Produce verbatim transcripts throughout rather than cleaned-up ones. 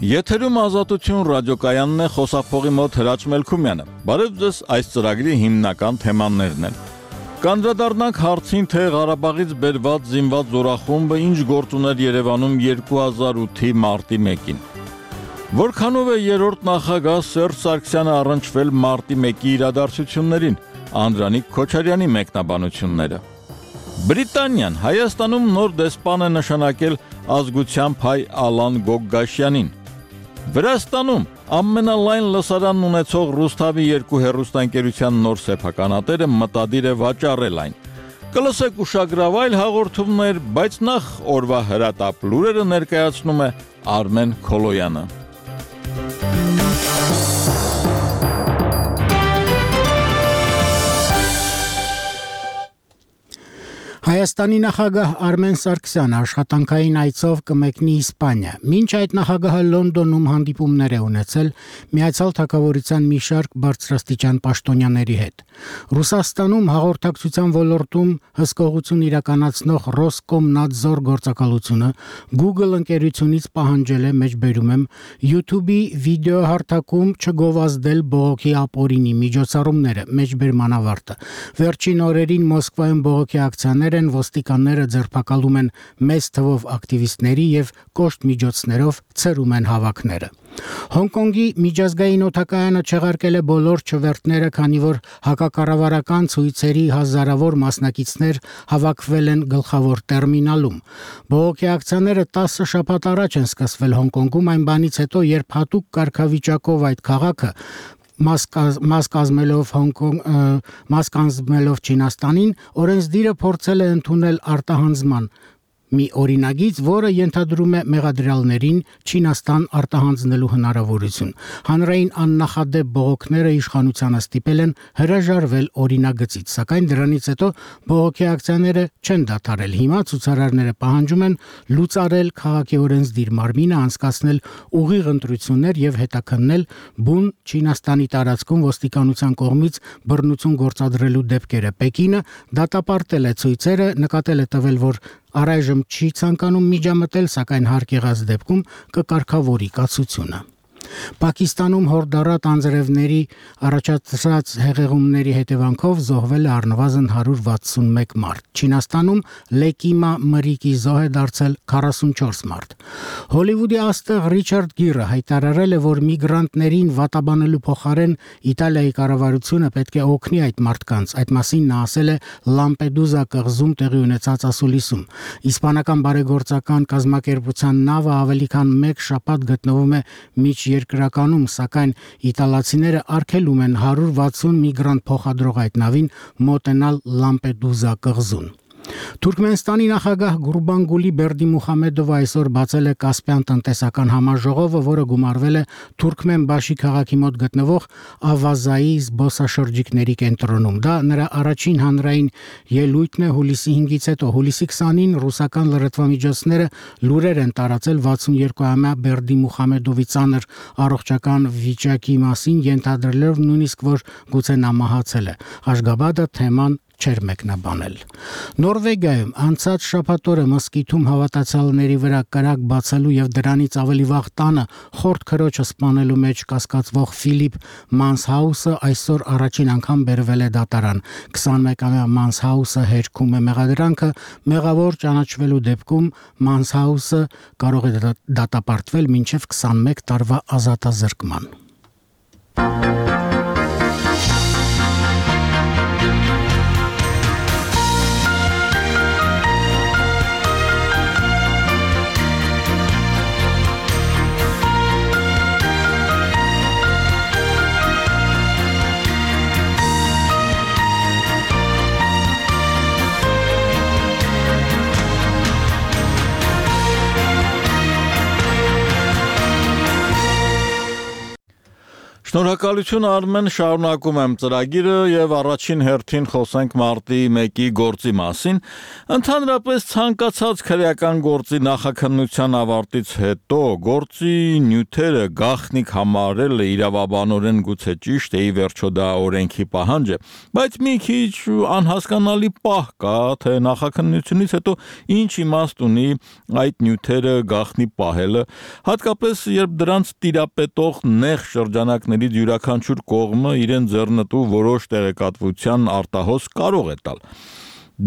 Եթերում Ազատություն ռադիոկայանն է, խոսափողի մոտ Հրաչ Մելքումյանը։ Բարև ձեզ, այս ծրագրի հիմնական թեմաներն են։ Կանդրադառնանք հարցին, թե Ղարաբաղից բերված զինված զորախումբը ինչ գործ ուներ Երևանում երկու հազար ութի մարտի մեկին։ Որքանով է երրորդ նախագահ Սերժ Սարգսյանը առնչվել մարտի մեկի իրադարձություններին, Անդրանիկ Քոչարյանի մեկնաբանությունները։ Բրիտանիան Հայաստանում նոր դեսպան է նշանակել ազգությամբ հայ Ալան Գոգգաշյանին։ Վրաստանում ամենալայն լսարանն ունեցող Ռուսթավի երկու հեռուստաընկերության նոր սեփականատերը մտադիր է վաճառել այն։ Կլսեք ուշագրավայր հաղորդումներ, բայց նախ օրվա հրատապ լուրերը ներկայացնում է Արմեն Քոլոյանը։ Հայաստանի նախագահ Արմեն Սարգսյանը աշխատանքային այցով կմեկնի Իսպանիա։ Մինչ այդ նախագահը Լոնդոնում հանդիպումներ է ունեցել Միացյալ Թագավորության մի շարք բարձրաստիճան պաշտոնյաների հետ։ Ռուսաստանում հաղորդակցության ոլորտում հսկողություն իրականացնող Ռոսկոմնադզոր գործակալությունը Google ընկերությունից պահանջել է, մեջբերում եմ, YouTube-ի վիդեոհարթակում չգովազդել բողոքի ապօրինի միջոցառումները, մեջբերման ավարտը։ Վերջին օրերին Մոսկվայում բողոքի ակցիաներ ոստիկանները ձերբակալում են մեծ թվով ակտիվիստների եւ կոշտ միջոցներով ցրում են հավաքները։ Հոնկոնգի միջազգային օդակայանը չեղարկել է բոլոր չվերթները, քանի որ հակակառավարական ցույցերի հազարավոր մասնակիցներ հավաքվել են գլխավոր տերմինալում։ Բողոքի ակցիաները տասը շաբաթ առաջ են սկսվել Հոնկոնգում, այն բանից հետո, երբ հատուկ կարգավիճակով այդ քաղաքը մաս կազմելով Հոնկոնգ մաս կազմելով Չինաստանին օրենսդիրը փորձել է ընդունել արտահանձնման մի օրինագիծ, որը ենթադրում է մեղադրյալներին Չինաստան արտահանձնելու հնարավորություն։ Հանրային աննախադեպ բողոքները իշխանությանը ստիպել են հրաժարվել օրինագծից, սակայն դրանից հետո բողոքի ակցիաները չեն դադարել։ Հիմա ցուցարարները պահանջում են լուծարել քաղաքի օրենսդիր մարմինը, անցկացնել ուղիղ ընտրություններ եւ հետաքննել բուն Չինաստանի տարածքում ոստիկանության կողմից բռնություն գործադրելու դեպքերը։ Պեկինը դատապարտել է ցույցերը, նկատել է տվել, որ առայժմ չի ցանկանում միջամտել, սակայն հարկ եղած դեպքում կկարգավորի կացությունը։ Պակիստանում հորդառատ անձրևների առաջացած հեղեղումների հետևանքով զոհվել է առնվազն հարյուր վաթսունմեկ մարդ։ Չինաստանում Լեկիմա մրրիկի զոհ է դարձել քառասունչորս մարդ։ Հոլիվուդի աստղ Ռիչարդ Գիրը հայտարարել է, որ միգրանտներին վատաբանելու փոխարեն Իտալիայի կառավարությունը պետք է օգնի այդ մարդկանց։ Այդ մասին նա ասել է Լամպեդուզա կղզում տեղի ունեցած ասուլիսում։ Իսպանական բարեգործական կազմակերպության նավը ավելի քան մեկ շաբաթ գտնվում է միջ երկրականում, սակայն իտալացիները արգելում են հարյուր վաթսուն միգրանտ փոխադրող այդ նավին մոտենալ Լամպեդուզա կղզուն։ Թուրքմենստանի նախագահ Գուրբանգուլի Բերդիմուխամեդովը այսօր բացել է Կասպյան տնտեսական համաժողովը, որը գումարվել է Թուրքմենբաշի քաղաքի մոտ գտնվող Ավազայի զբոսաշրջիկների կենտրոնում։ Դա նրա առաջին հանրային ելույթն է հուլիսի հինգից հետո։ Հուլիսի քսանին ռուսական լրատվամիջոցները լուրեր են տարածել վաթսունյոթամյա Բերդիմուխամեդովի ծանր առողջական վիճակի մասին, ենթադրելով նույնիսկ, որ գուցե նա մահացել է։ Աշգաբադը թեման չեր մեկնաբանել։ Նորվեգիայում անցած շաբաթ օրը մսկիթում հավատացյալների վրա կրակ բացելու եւ դրանից ավելի վաղ տանը խորտ քրոջը սպանելու մեջ կասկածվող Ֆիլիպ Մանսհաուսը այսօր առաջին անգամ բերվել է դատարան։ քսանմեկամյա Մանսհաուսը հերքում է մեղադրանքը, մեղավոր ճանաչվելու դեպքում Մանսհաուսը կարող է դատապարտվել մինչև քսանմեկ տարվա ազատազրկման։ Շնորհակալություն Արմեն, շարունակում եմ ծրագիրը եւ առաջին հերթին խոսենք մարտի մեկի գործի մասին։ Ընդհանրապես ցանկացած քրեական գործի նախաքննության ավարտից հետո գործի նյութերը գաղտնիք համարելը իրավաբանորեն գուցե ճիշտ է, ի վերջո դա օրենքի պահանջ է, բայց մի քիչ անհասկանալի պահ կա, թե նախաքննությունից հետո ինչ իմաստ ունի այդ նյութերը գաղտնի պահելը, հատկապես երբ դրանց տիրապետող նեղ շրջանակներ յուրաքանչյուր կողմը իրեն ձեռնտու որոշ տեղեկատվության արտահոս կարող է տալ։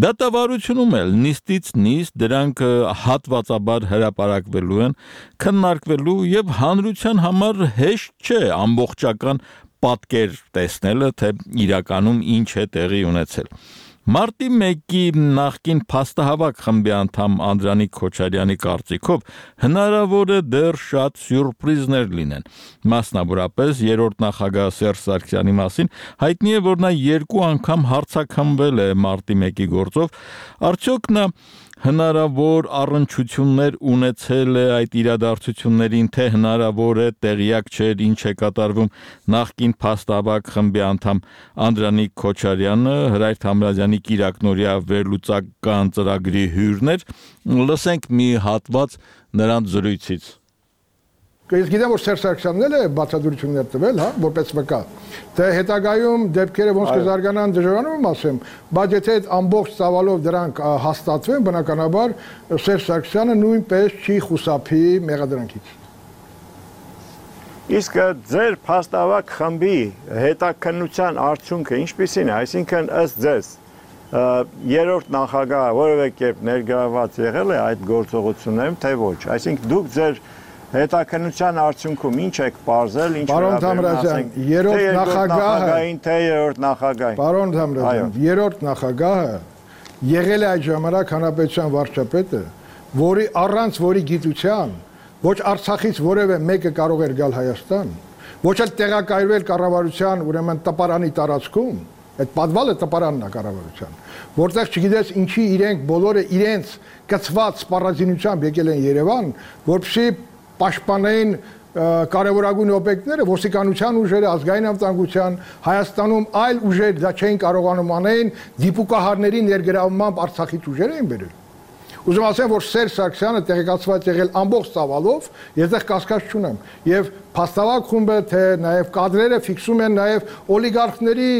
Դատավարությունում էլ նիստից նիստ դրանք հատվածաբար հրապարակվելու են, քննարկվելու եւ հանրության համար հեշտ չէ ամբողջական պատկեր տեսնելը, թե իրականում ինչ է տեղի ունեցել։ Մարտի մեկի նախկին փաստահավաք խմբի անդամ Անդրանիկ Քոչարյանի կարծիքով հնարավոր է դեռ շատ սյուրպրիզներ լինեն։ Մասնավորապես երրորդ նախագահ Սերժ Սարգսյանի մասին հայտնի է, որ նա երկու անգամ հարցաքննվել է մարտի մեկի գործով, արդյոք նա հնարավոր առնչություններ ունեցել է այդ իրադարձություններին, թե հնարավոր է տեղյակ չէր ինչ է կատարվում նախկին փաստահավաք խմբի անդամ Անդրանիկ Քոչարյանը, Հրայր Թամրազյանի կիրակնօրյա վերլուծական ծրագրի հյուրներ, լսենք մի հատված նրանց զրույցից։ Ես գիտեմ, որ Սերժ Սարգսյանն էլ է բացատրություններ տվել, հա, որպես վկա, թե հետագայում դեպքերը ոնց կզարգանան դժվարանում ասեմ, բայց եթե այդ ամբողջ ծավալով դրանք հաստատվեն, բնականաբար Սերժ Սարգսյանը նույնպես չի խուսափի մեղադրանքից։ Իսկ ձեր փաստավակ խմբի հետաքննության արդյունքը ինչպիսին է, այսինքն ըստ ձեզ երրորդ նախագահը որևէ կերպ ներգրավված եղել է այդ գործողություններում, թե ոչ, այսինքն դուք ձեր հետաքննության արդյունքում ինչ եք պարզել, ինչ Պարոն Թամրազյան, երրորդ նախագահին, թե երրորդ նախագահին։ Պարոն Թամրազյան, երրորդ նախագահը եղել է այդ ժամանակ հանրապետության վարչապետը, որի առանց որի գիտության ոչ Արցախից որևէ մեկը կարող էր գալ Հայաստան, ոչ էլ տեղակայվել կառավարության, ուրեմն տպարանի տարածքում, այդ պատվալը տպարանն է կառավարության, որտեղ չգիտես ինչի իրենք բոլորը իրենց կցված սպառազինությամբ եկել են Երևան, որպեսզի պաշտպանային կարևորագույն օբյեկտները, ոստիկանության ուժերը, ազգային անվտանգության, Հայաստանում այլ ուժեր դա չէին կարողանում անեն, դիպուկահարների ներգրավմամբ Արցախից ուժեր էին բերել։ Ուզում ասեմ, որ Սերժ Սարգսյանը տեղեկացված եղել ամբողջ ծավալով, ես դեռ կասկած չունեմ, եւ փաստավակ խումբը, թե նաեւ կադրերը ֆիքսում են նաեւ օլիգարխների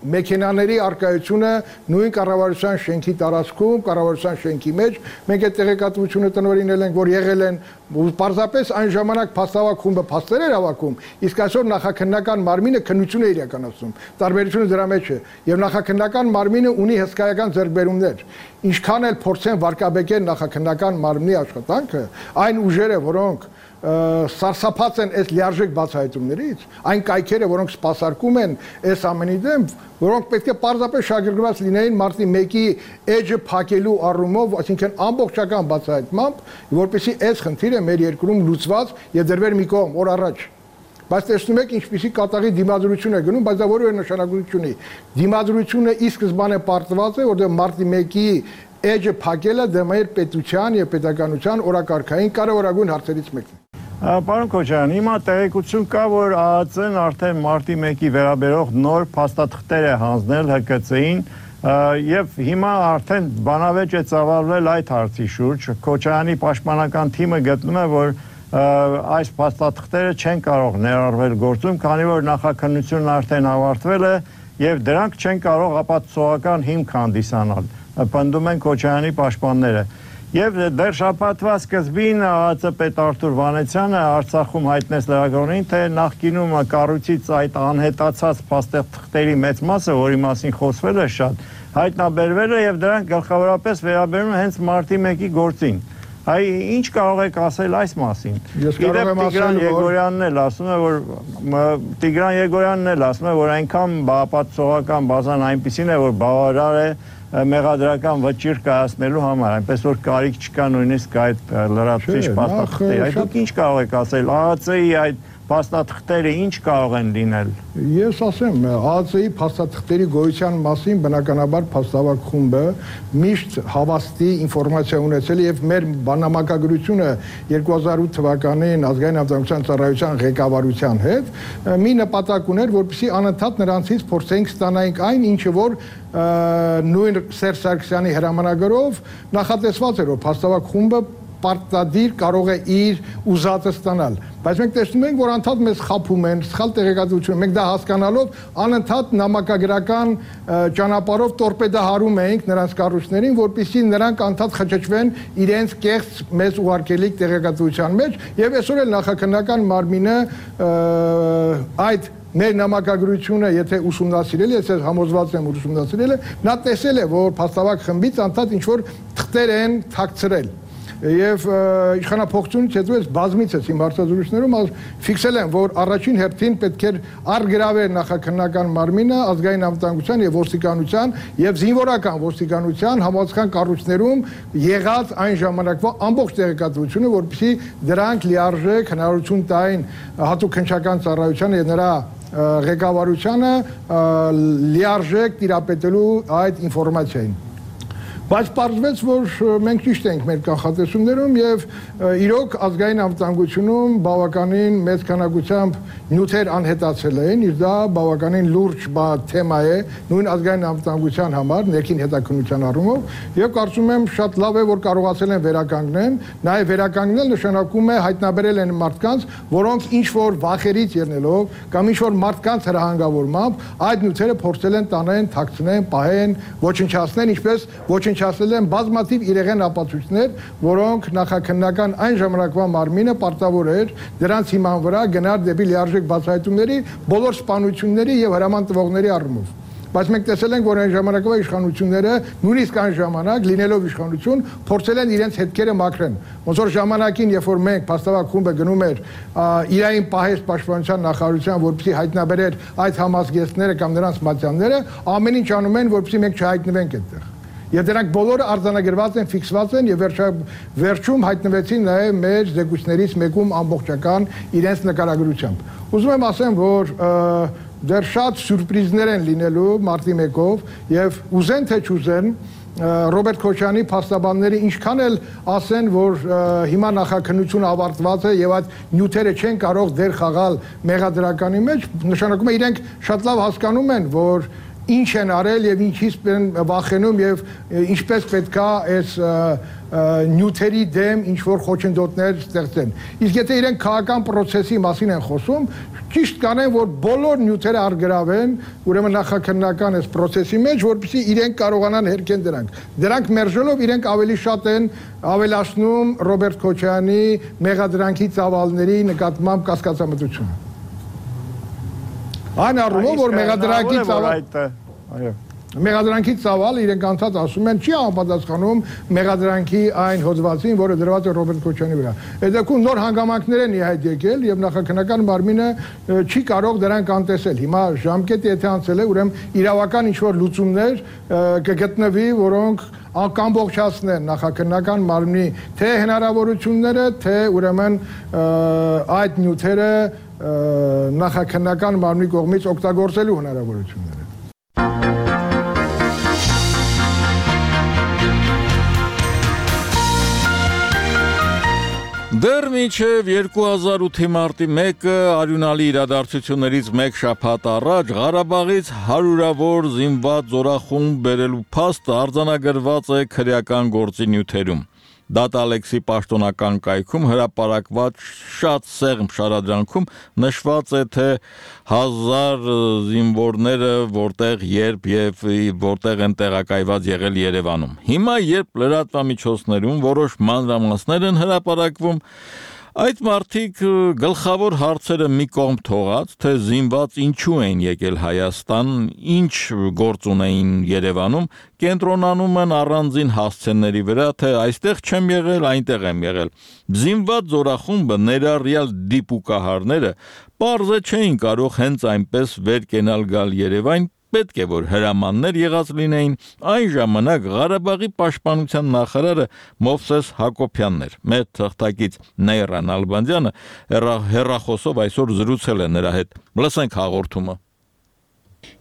մեքենաների արկայությունը նույն կառավարության շենքի տարածքում, կառավարության շենքի մեջ, մենք այդ տեղեկատվությունը տնօրինել ենք, որ եղել են, պարզապես այն ժամանակ փաստավակ խումբը փաստեր էր հավաքում, իսկ այսօր նախաքննական մարմինը քննություն է իրականացնում։ Տարբերությունը դրա մեջ է, եւ նախաքննական մարմինը ունի հսկայական ձեռքբերումներ։ Ինչքան էլ փորձեն վարկաբեկել նախաքննական մարմնի աշխատանքը, այն ուժերը, որոնք սարսափած են այս լիարժեք բացահայտումներից, այն կայքերը, որոնք սպասարկում են այս ամենի դեմ, որոնք պետք է պարզապես շահագրգռված լինեին մարտի մեկի էջը փակելու առումով, այսինքն ամբողջական բացահայտմամբ, որպեսզի այս խնդիրը մեր երկրում լուծված եւ դրվեր մի կողմ օր առաջ։ Բայց տեսնում եք ինչպիսի կատաղի դիմադրություն է գնում, բայց դա որևէ նշանակություն ունի։ Դիմադրությունը ի սկզբանե պարտված է, որտեղ մարտի մեկի էջը փակելը դա մեր պետության եւ պետականության օրակարգային կարևորագույն հարցերից մեկն է։ Պարոն Քոչարյան, հիմա տեղեկություն կա, որ ԱԱԾ-ն արդեն մարտի մեկի վերաբերող նոր փաստաթղթեր է հանձնել Հ Կ Ց-ին եւ հիմա արդեն բանավեճ է ծավալվել այդ հարցի շուրջ։ Քոչարյանի պաշտպանական թիմը գտնում է, որ այս փաստաթղթերը չեն կարող ներառվել գործում, քանի որ նախաքննությունն արդեն ավարտվել է եւ դրանք չեն կարող ապացուցողական հիմք հանդիսանալ։ Պնդում են Քոչարյանի պաշտպանները։ Եվ դեռ շաբաթվա սկզբին ԱԱԾ պետ Արթուր Վանեցյանը Արցախում հայտնեց լրագրողներին, թե նախկինում կառույցից այդ անհետացած փաստաթղթերի մեծ մասը, որի մասին խոսվել է շատ, հայտնաբերվել է եւ դրանք գլխավորապես վերաբերում են հենց մարտի մեկի գործին։ Այ ինչ կարող եք ասել այս մասին։ Գիտեմ Տիգրան Եգորյանն էլ ասում է, որ Տիգրան Եգորյանն էլ ասում է, որ այնքան ապացուցողական բազան այնպեսին է, որ բավարար է մեղադրական վճիռ կայացնելու համար, այնպես որ կարիք չկա նույնիսկ այդ լրացուցիչ փաստաթղթերի։ Այդ դուք ինչ կարող եք ասել ԱԱԾ-ի այդ փաստաթղթերը ինչ կարող են լինել։ Ես ասեմ, ԱԱՑ-ի փաստաթղթերի գոյության մասին բնականաբար փաստավակ խումբը միշտ հավաստի ինֆորմացիա ունեցել եւ մեր բանամակագրությունը երկու հազար ութ թվականին ազգային անվտանգության ծառայության ղեկավարության հետ մի նպատակ ուներ, որպեսզի անընդհատ նրանցից փորձենք ստանալ այն, ինչը որ նույն Սերժ Սարգսյանի հրամանագրով նախատեսված էր, որ փաստավակ խումբը պարտադիր կարող է իր ուզածը ստանալ, բայց մենք տեսնում ենք, որ անդադ մեզ խափում են, սխալ տեղեկատվություն, մենք դա հասկանալով անընդհատ նամակագրական ճանապարհով տորպեդահարում ենք նրանց կառույցներին, որպեսզի նրանք անդադ խճճվեն իրենց կեղծ մեզ ուղարկելիք տեղեկատվության մեջ, եւ այսօր էլ նախաքննական մարմինը այդ մեր նամակագրությունը, եթե ուսումնասիրել է, ես համոզված եմ ուսումնասիրել է, նա տեսել է, որ փաստավակ խմբից անդադ ինչ որ թղթեր են թաքցրել։ Եվ իշխանափոխությունից հետո ես բազմիցս իմ հարցազրույցներում ֆիքսել եմ, որ առաջին հերթին պետք էր առգրավել նախաքննական մարմինը ազգային անվտանգության եւ ոստիկանության եւ զինվորական ոստիկանության համապատասխան կառույցներում եղած այն ժամանակվա ամբողջ տեղեկատվությունը, որպեսզի դրանք լիարժեք հնարավորություն տային հատուկ քննչական ծառայությանը եւ նրա ղեկավարությանը լիարժեք տիրապետելու այդ ինֆորմացիային։ Բայց պարզվեց, որ մենք ճիշտ ենք մեր կանխատեսումներում եւ իրոք ազգային անվտանգությունում բավականին մեծ քանակությամբ նյութեր անհետացել են, իր դա բավականին լուրջ թեմա է նույն ազգային անվտանգության համար, ներքին հետաքննության առումով, եւ կարծում եմ շատ լավ է, որ կարողացել են վերականգնել, նաեւ վերականգնել նշանակում է հայտնաբերել են մարդկանց, որոնք ինչ որ վախերից ելնելով կամ ինչ որ մարդկանց հրահանգավորմամբ այդ նյութերը փորձել են տանեն, թաքցնեն, պահեն, ոչնչացնեն, ինչպես ոչնչ ասել են բազմաթիվ իրեղեն ապացույցներ, որոնք նախաքննական այն ժամանակվա մարմինը պարտավոր էր դրանց հիման վրա գնալ դեպի լիարժեք բացահայտումների բոլոր սպանությունների եւ հրաման տվողների առումով։ Բայց մենք տեսել ենք, որ այն ժամանակվա իշխանությունները նույնիսկ այն ժամանակ լինելով իշխանություն փորձել են իրենց հետքերը մաքրեն։ Ոնց որ ժամանակին, երբ որ մենք փաստավակ խումբը գնում էր իրային պահես պաշտպանության նախարարության, որպեսզի հայտնաբերեր այդ համազգեստները կամ նրանց մատյանները, ամեն ինչ անում են, որպեսզի մենք չհայտնվենք այդտեղ։ Եվ դրանք բոլորը արձանագրված են, ֆիքսված են եւ վերջում հայտնվեցին նաեւ մեր զեկույցներից մեկում ամբողջական իրենց նկարագրությամբ։ Ուզում եմ ասեմ, որ դեռ շատ սյուրպրիզներ են լինելու մարտի մեկով եւ ուզեն թե չուզեն Ռոբերտ Քոչյանի փաստաբանները ինչքան էլ ասեն, որ հիմա նախաքննությունը ավարտված է եւ այդ նյութերը չեն կարող դեր խաղալ մեղադրականի մեջ, նշանակում է իրենք շատ լավ հասկանում են, որ ինչ են արել եւ ինչից են վախենում եւ ինչպես պետքա այս նյութերի դեմ ինչ որ խոչընդոտներ ստեղծեն։ Իսկ եթե իրենք քաղաքական process-ի մասին են խոսում, ճիշտ կանեն, որ բոլոր նյութերը արգրավեն, ուրեմն նախաքննական այս process-ի մեջ, որպեսզի իրենք կարողանան հերքեն դրանք։ Դրանք մերժելով իրենք ավելի շատ են ավելացնում Ռոբերտ Քոչյանի մեղադրանքի ծավալների նկատմամբ կասկածամտությունը։ Այն առումով, որ մեղադրանքի ծավալ, մեղադրանքի ծավալ իրենք անդադ ասում են չի համապատասխանում մեղադրանքի այն հոդվածին, որը դրված է Ռոբերտ Քոչյանի վրա։ Այդ դեպքում նոր հանգամանքներ են իհայտ եկել եւ նախաքննական մարմինը չի կարող դրանք անտեսել։ Հիմա ժամկետը եթե անցել է, ուրեմն իրավական ինչ որ լուծումներ կգտնվի, որոնք անկամբողջացնեն նախաքննական մարմնի թե հնարավորությունները, թե ուրեմն այդ նյութերը նախաքննական մարմնի կողմից օգտագործելու հնարավորությունները։ Դեռ մինչև երկու հազար ութի մարտի մեկը արյունալի իրադարձություններից մեկ շաբաթ առաջ Ղարաբաղից հարյուրավոր զինված զորախումբ բերելու փաստը արձանագրված է քրեական գործի նյութերում։ Դատալեքսի պաշտոնական կայքում հրապարակված շատ սեղմ շարադրանքում նշված է, թե հազար զինվորները որտեղ, երբ եւ որտեղ են տեղակայված եղել Երևանում։ Հիմա, երբ լրատվամիջոցներում որոշ մանրամասներ են հրապարակվում, այդ մարդիկ գլխավոր հարցերը մի կողմ թողած, թե զինված ինչու են եկել Հայաստան, ինչ գործ ունեին Երևանում, կենտրոնանում են առանձին հասցեների վրա, թե այստեղ չեմ եղել, այնտեղ եմ եղել։ Զինված զորախումբը ներառյալ դիպուկահարները պարզը չէին կարող հենց այնպես վեր կենալ գալ Երևան, պետք է որ հրամաններ եղած լինեին այն ժամանակ Ղարաբաղի պաշտպանության նախարարը Մովսես Հակոբյանն էր։ Մեր թղթակից Նեյրան Ալբանդյանը հեռախոսով այսօր զրուցել է նրա հետ։ Լսենք հաղորդումը։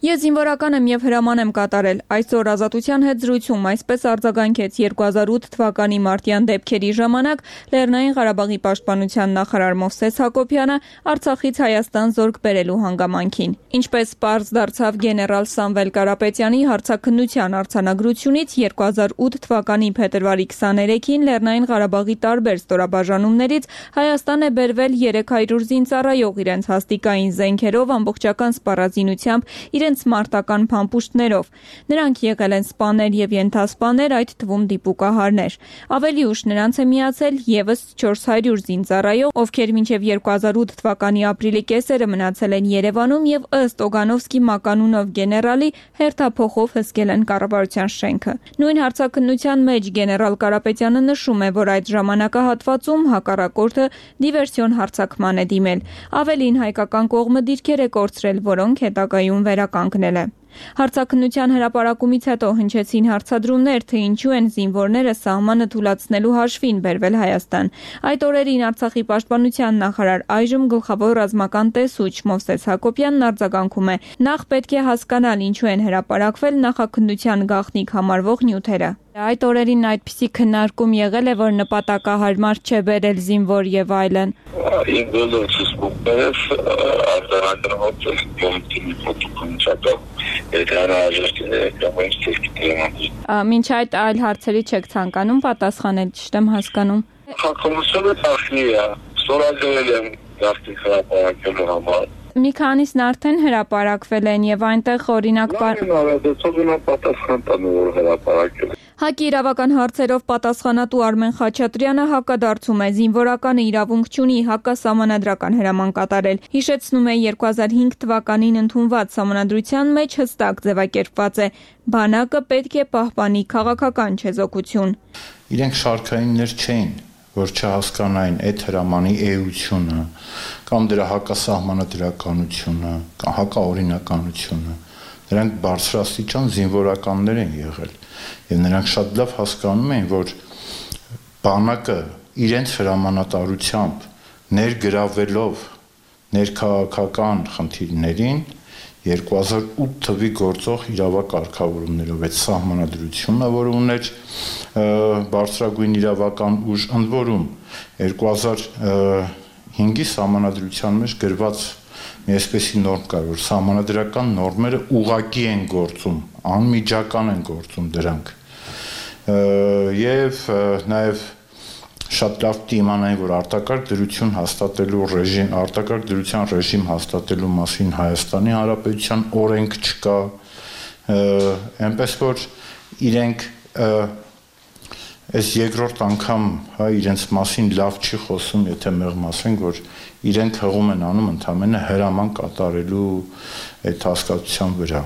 Ես զինվորական եմ եւ հրաման եմ կատարել։ Այսօր Ազատության հետ զրույցում այսպես արձագանքեց երկու հազար ութ թվականի մարտյան դեպքերի ժամանակ Լեռնային Ղարաբաղի պաշտպանության նախարար Մովսես Հակոբյանը Արցախից Հայաստան զորք բերելու հանգամանքին։ Ինչպես պարզ դարձավ գեներալ Սամվել Կարապետյանի հարցաքննության արձանագրությունից, երկու հազար ութ թվականի փետրվարի քսաներեքին Լեռնային Ղարաբաղի տարբեր ստորաբաժանումներից Հայաստան է բերվել երեք հարյուր զինծառայող իրենց հաստիկային զենքերով ամբողջական սպառազինությամբ իրենց մարտական փամփուշտներով։ Նրանք եղել են սպաներ եւ ենթասպաներ, այդ թվում դիպուկահարներ։ Ավելի ուշ նրանց է միացել եւս չորս հարյուր զինծառայող, ովքեր մինչեւ երկու հազար ութ թվականի ապրիլի կեսերը մնացել են Երևանում եւ ըստ Օգանովսկի մականունով գեներալի հերթափոխով հսկել են կառավարության շենքը։ Նույն հարցաքննության մեջ գեներալ Կարապետյանը նշում է, որ այդ ժամանակահատվածում հակառակորդը դիվերսիոն հարձակման է դիմել։ Ավելին հայկական կողմը դիրքեր է կորցրել, որոնք հետագայում վերականգնել է։ Հարցաքննության հրապարակումից հետո հնչեցին հարցադրումներ, թե ինչու են զինվորները սահմանը թուլացնելու հաշվին բերվել Հայաստան։ Այդ օրերին Արցախի պաշտպանության նախարար, այժմ գլխավոր ռազմական տեսուչ Մովսես Հակոբյանն արձագանքում է. նախ պետք է հասկանալ ինչու են հրապարակվել նախաքննության գաղտնիք համարվող նյութերը։ Այդ օրերին այդպիսի քննարկում եղել է, որ նպատակահարմար չէ բերել զինվոր եւ այլն։ Մինչ այդ այլ հարցերի չեք ցանկանում պատասխանել, ճիշտ եմ հասկանում։ Հակոմությունը տախնի է, ստորագրել եմ գաղտնիք հրապարակելու համար։ Մի քանիսն արդեն հրապարակվել են եւ այնտեղ օրինակ պատասխան տանը որ հրապարակել։ ՀԱԿ-ի իրավական հարցերով պատասխանատու Արմեն Խաչատրյանը հակադարձում է, զինվորականը իրավունք չունի հակասահմանադրական հրաման կատարել։ Հիշեցնում է երկու հազար հինգ թվականին ընդունված սահմանադրության մեջ հստակ ձևակերպված է. բանակը պետք է պահպանի քաղաքական չեզոքություն։ Իրենք շարքայիններ չէին, որ չհասկանային այդ հրամանի էությունը կամ դրա հակասահմանադրականությունը, կամ հակաօրինականությունը։ Նրանք բարձրաստիճան զինվորականներ են եղել եւ նրանք շատ լավ հասկանում էին, որ բանակը իրենց հրամանատարությամբ ներգրավելով ներքաղաքական խնդիրներին երկու հազար ութ թվի գործող իրավակարգավորումներով այդ սահմանադրությունը, որը ուներ բարձրագույն իրավական ուժ, ընդ որում երկու հազար հինգի սահմանադրության մեջ գրված մի այսպիսի նորմ կար, որ սահմանադրական նորմերը ուղղակի են գործում, անմիջական են գործում դրանք։ Եվ նաև շատ լավ իմանային, որ արտակարգ դրություն հաստատելու ռեժիմ, արտակարգ դրության ռեժիմ հաստատելու մասին Հայաստանի Հանրապետության օրենք չկա, այնպես որ իրենք այս երկրորդ անգամ հա իրենց մասին լավ չի խոսում, եթե մեղմ ասենք, որ իրենք հղում են անում ընդամենը հրաման կատարելու այդ հասկացության վրա։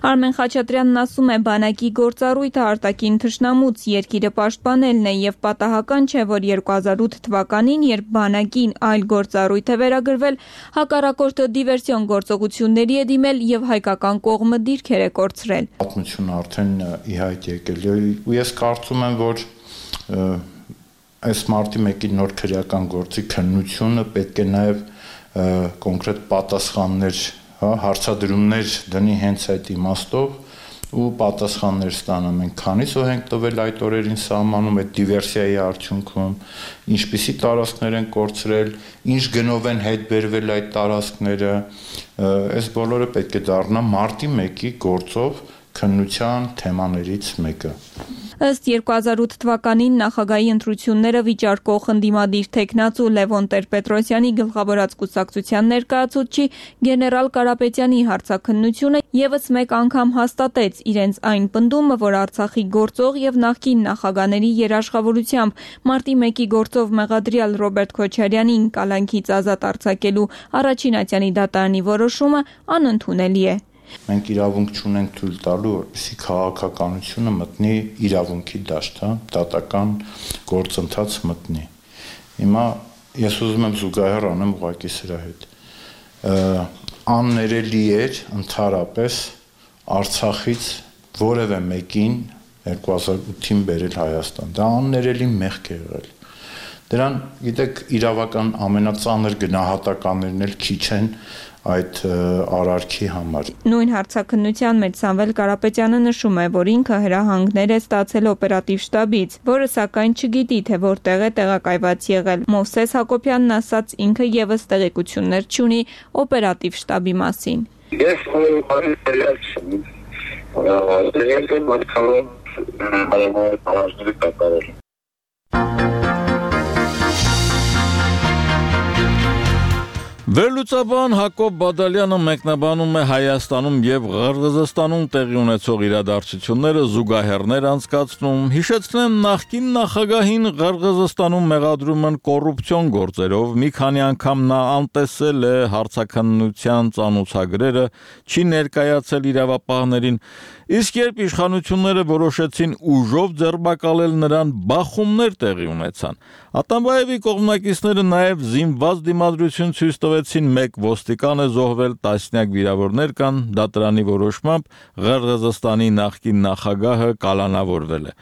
Արմեն Խաչատրյանն ասում է, բանակի գործառույթը արտաքին թշնամուց երկիրը պաշտպանելն է եւ պատահական չէ, որ երկու հազար ութ թվականին, երբ բանակին այլ գործառույթ է վերագրվել, հակառակորդը դիվերսիոն գործողությունների է դիմել եւ հայկական կողմը դիրքեր է կորցրել։ Պատմությունը արդեն ի հայտ եկել է ու ես կարծում եմ, որ այս մարտի մեկի նոր քրեական գործի քննությունը պետք է նաեւ կոնկրետ պատասխաններ, հա, հարցադրումներ դնի հենց այդ իմաստով ու պատասխաններ ստանա մենք քանիսով ենք տվել այդ օրերին սահմանում այդ դիվերսիայի արդյունքում, ինչպիսի տարածքներ են կորցրել, ինչ գնով են հետ բերվել այդ տարածքները, այս բոլորը պետք է դառնա մարտի մեկի գործով քննության թեմաներից մեկը։ Ըստ երկու հազար ութ թվականին նախագահի ընտրությունները վիճարկող ընդդիմադիր տեխնացու Լևոն Տեր-Պետրոսյանի գլխավորած կուսակցության ներկայացուցիչ գեներալ Կարապետյանի հարցաքննությունը եւս մեկ անգամ հաստատեց իրենց այն պնդումը, որ Արցախի գործող եւ նախկին նախագահների երաշխավորությամբ մարտի մեկի գործով մեղադրյալ Ռոբերտ Քոչարյանին կալանքից ազատ արձակելու առաջին ատյանի դատարանի որոշումը անընդունելի է։ Մենք իրավունք չունենք թույլ տալու, որպեսզի քաղաքականությունը մտնի իրավունքի դաշտ, հա, դատական գործընթաց մտնի։ Հիմա ես ուզում եմ զուգահեռ անեմ ուղղակի սրա հետ։ Աններելի էր ընդհանրապես Արցախից որևէ մեկին երկու հազար ութին բերել Հայաստան։ Դա աններելի մեղք է եղել։ Դրան, գիտեք, իրավական ամենածանր գնահատականներն էլ քիչ են այդ արարքի համար։ Նույն հարցաքննության մեջ Սամվել Կարապետյանը նշում է, որ ինքը հրահանգներ է ստացել օպերատիվ շտաբից, որը սակայն չգիտի, թե որտեղ է տեղակայված եղել։ Մովսես Հակոբյանն ասաց, ինքը եւս տեղեկություններ չունի օպերատիվ շտաբի մասին։ Ես որևէ տեղյակ չեմ։ Ես եմ մտքալով հարավային պարաժների կատարել։ Վերլուծաբան Հակոբ Բադալյանը մեկնաբանում է Հայաստանում եւ Ղրղզստանում տեղի ունեցող իրադարձությունները, զուգահեռներ անցկացնում, հիշեցնեմ նախկին նախագահին Ղրղզստանում մեղադրում են կոռուպցիոն գործերով, մի քանի անգամ նա անտեսել է հարցաքննության ծանոթագրերը, չի ներկայացել իրավապահներին, իսկ երբ իշխանությունները որոշեցին ուժով ձերբակալել նրան, բախումներ տեղի ունեցան։ Ատամբաևի կողմնակիցները նաև զինված դիմադրություն ցույց տվեցին, մեկ ոստիկան է զոհվել, տասնյակ վիրավորներ կան, դատարանի որոշմամբ Ղրղզստանի նախկին նախագահը կալանավորվել է։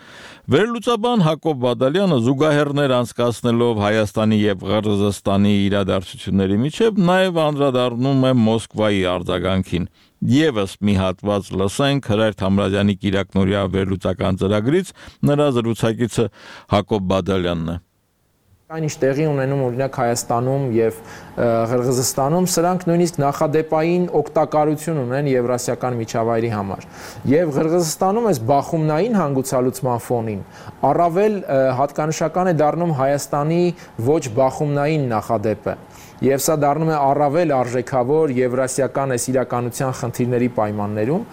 Վերլուծաբան Հակոբ Բադալյանը զուգահեռներ անցկացնելով Հայաստանի եւ Ղրղզստանի իրադարձությունների միջև նաև անդրադառնում է Մոսկվայի արձագանքին։ Եվս մի հատված լսենք Հրայր Թամրազյանի Կիրակնորյա վերլուծական ծրագրից, նրա զրուցակիցը Հակոբ Բադալյանն է։ Այն ինչ տեղի ունենում օրինակ Հայաստանում եւ Ղրղզստանում, սրանք նույնիսկ նախադեպային օգտակարություն ունեն եվրասիական միջավայրի համար։ Եվ Ղրղզստանում այս բախումնային հանգուցալուծման ֆոնին առավել հատկանշական է դառնում Հայաստանի ոչ բախումնային նախադեպը։ Եվ սա դառնում է առավել արժեքավոր եվրասիական այս իրականության խնդիրների պայմաններում,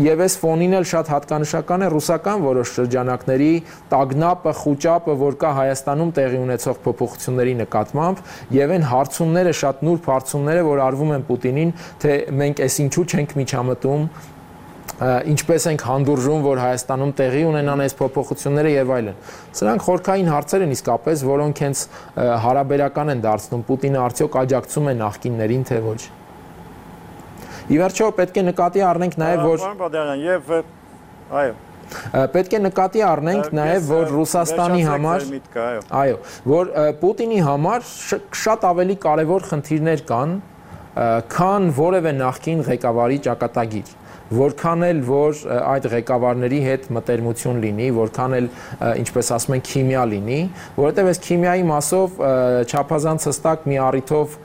եւ այս ֆոնին էլ շատ հատկանշական է ռուսական որոշ շրջանակների տագնապը, խուճապը, որ կա Հայաստանում տեղի ունեցող փոփոխությունների նկատմամբ, եւ այն հարցումները, շատ նուրբ հարցումները, որ արվում են Պուտինին, թե մենք այս ինչու չենք միջամտում, ինչպես ենք հանդուրժում, որ Հայաստանում տեղի ունենան այս փոփոխությունները եւ այլն։ Սրանք խորքային հարցեր են իսկապես, որոնք հենց հարաբերական են դարձնում Պուտինը արդյոք աջակցում է նախկիններին, թե ոչ։ Ի վերջո պետք է նկատի առնենք նաեւ, որ Պարոն Բադալյան, եւ այո պետք է նկատի առնենք նաեւ, որ Ռուսաստանի համար, այո, որ Պուտինի համար շատ ավելի կարեւոր խնդիրներ կան, քան որևէ նախկին ղեկավարի ճակատագիր։ Որքան էլ որ այդ ղեկավարների հետ մտերմություն լինի, որքան էլ ինչպես ասում են քիմիա լինի, որովհետև այս քիմիայի մասով չափազանց հստակ մի առիթով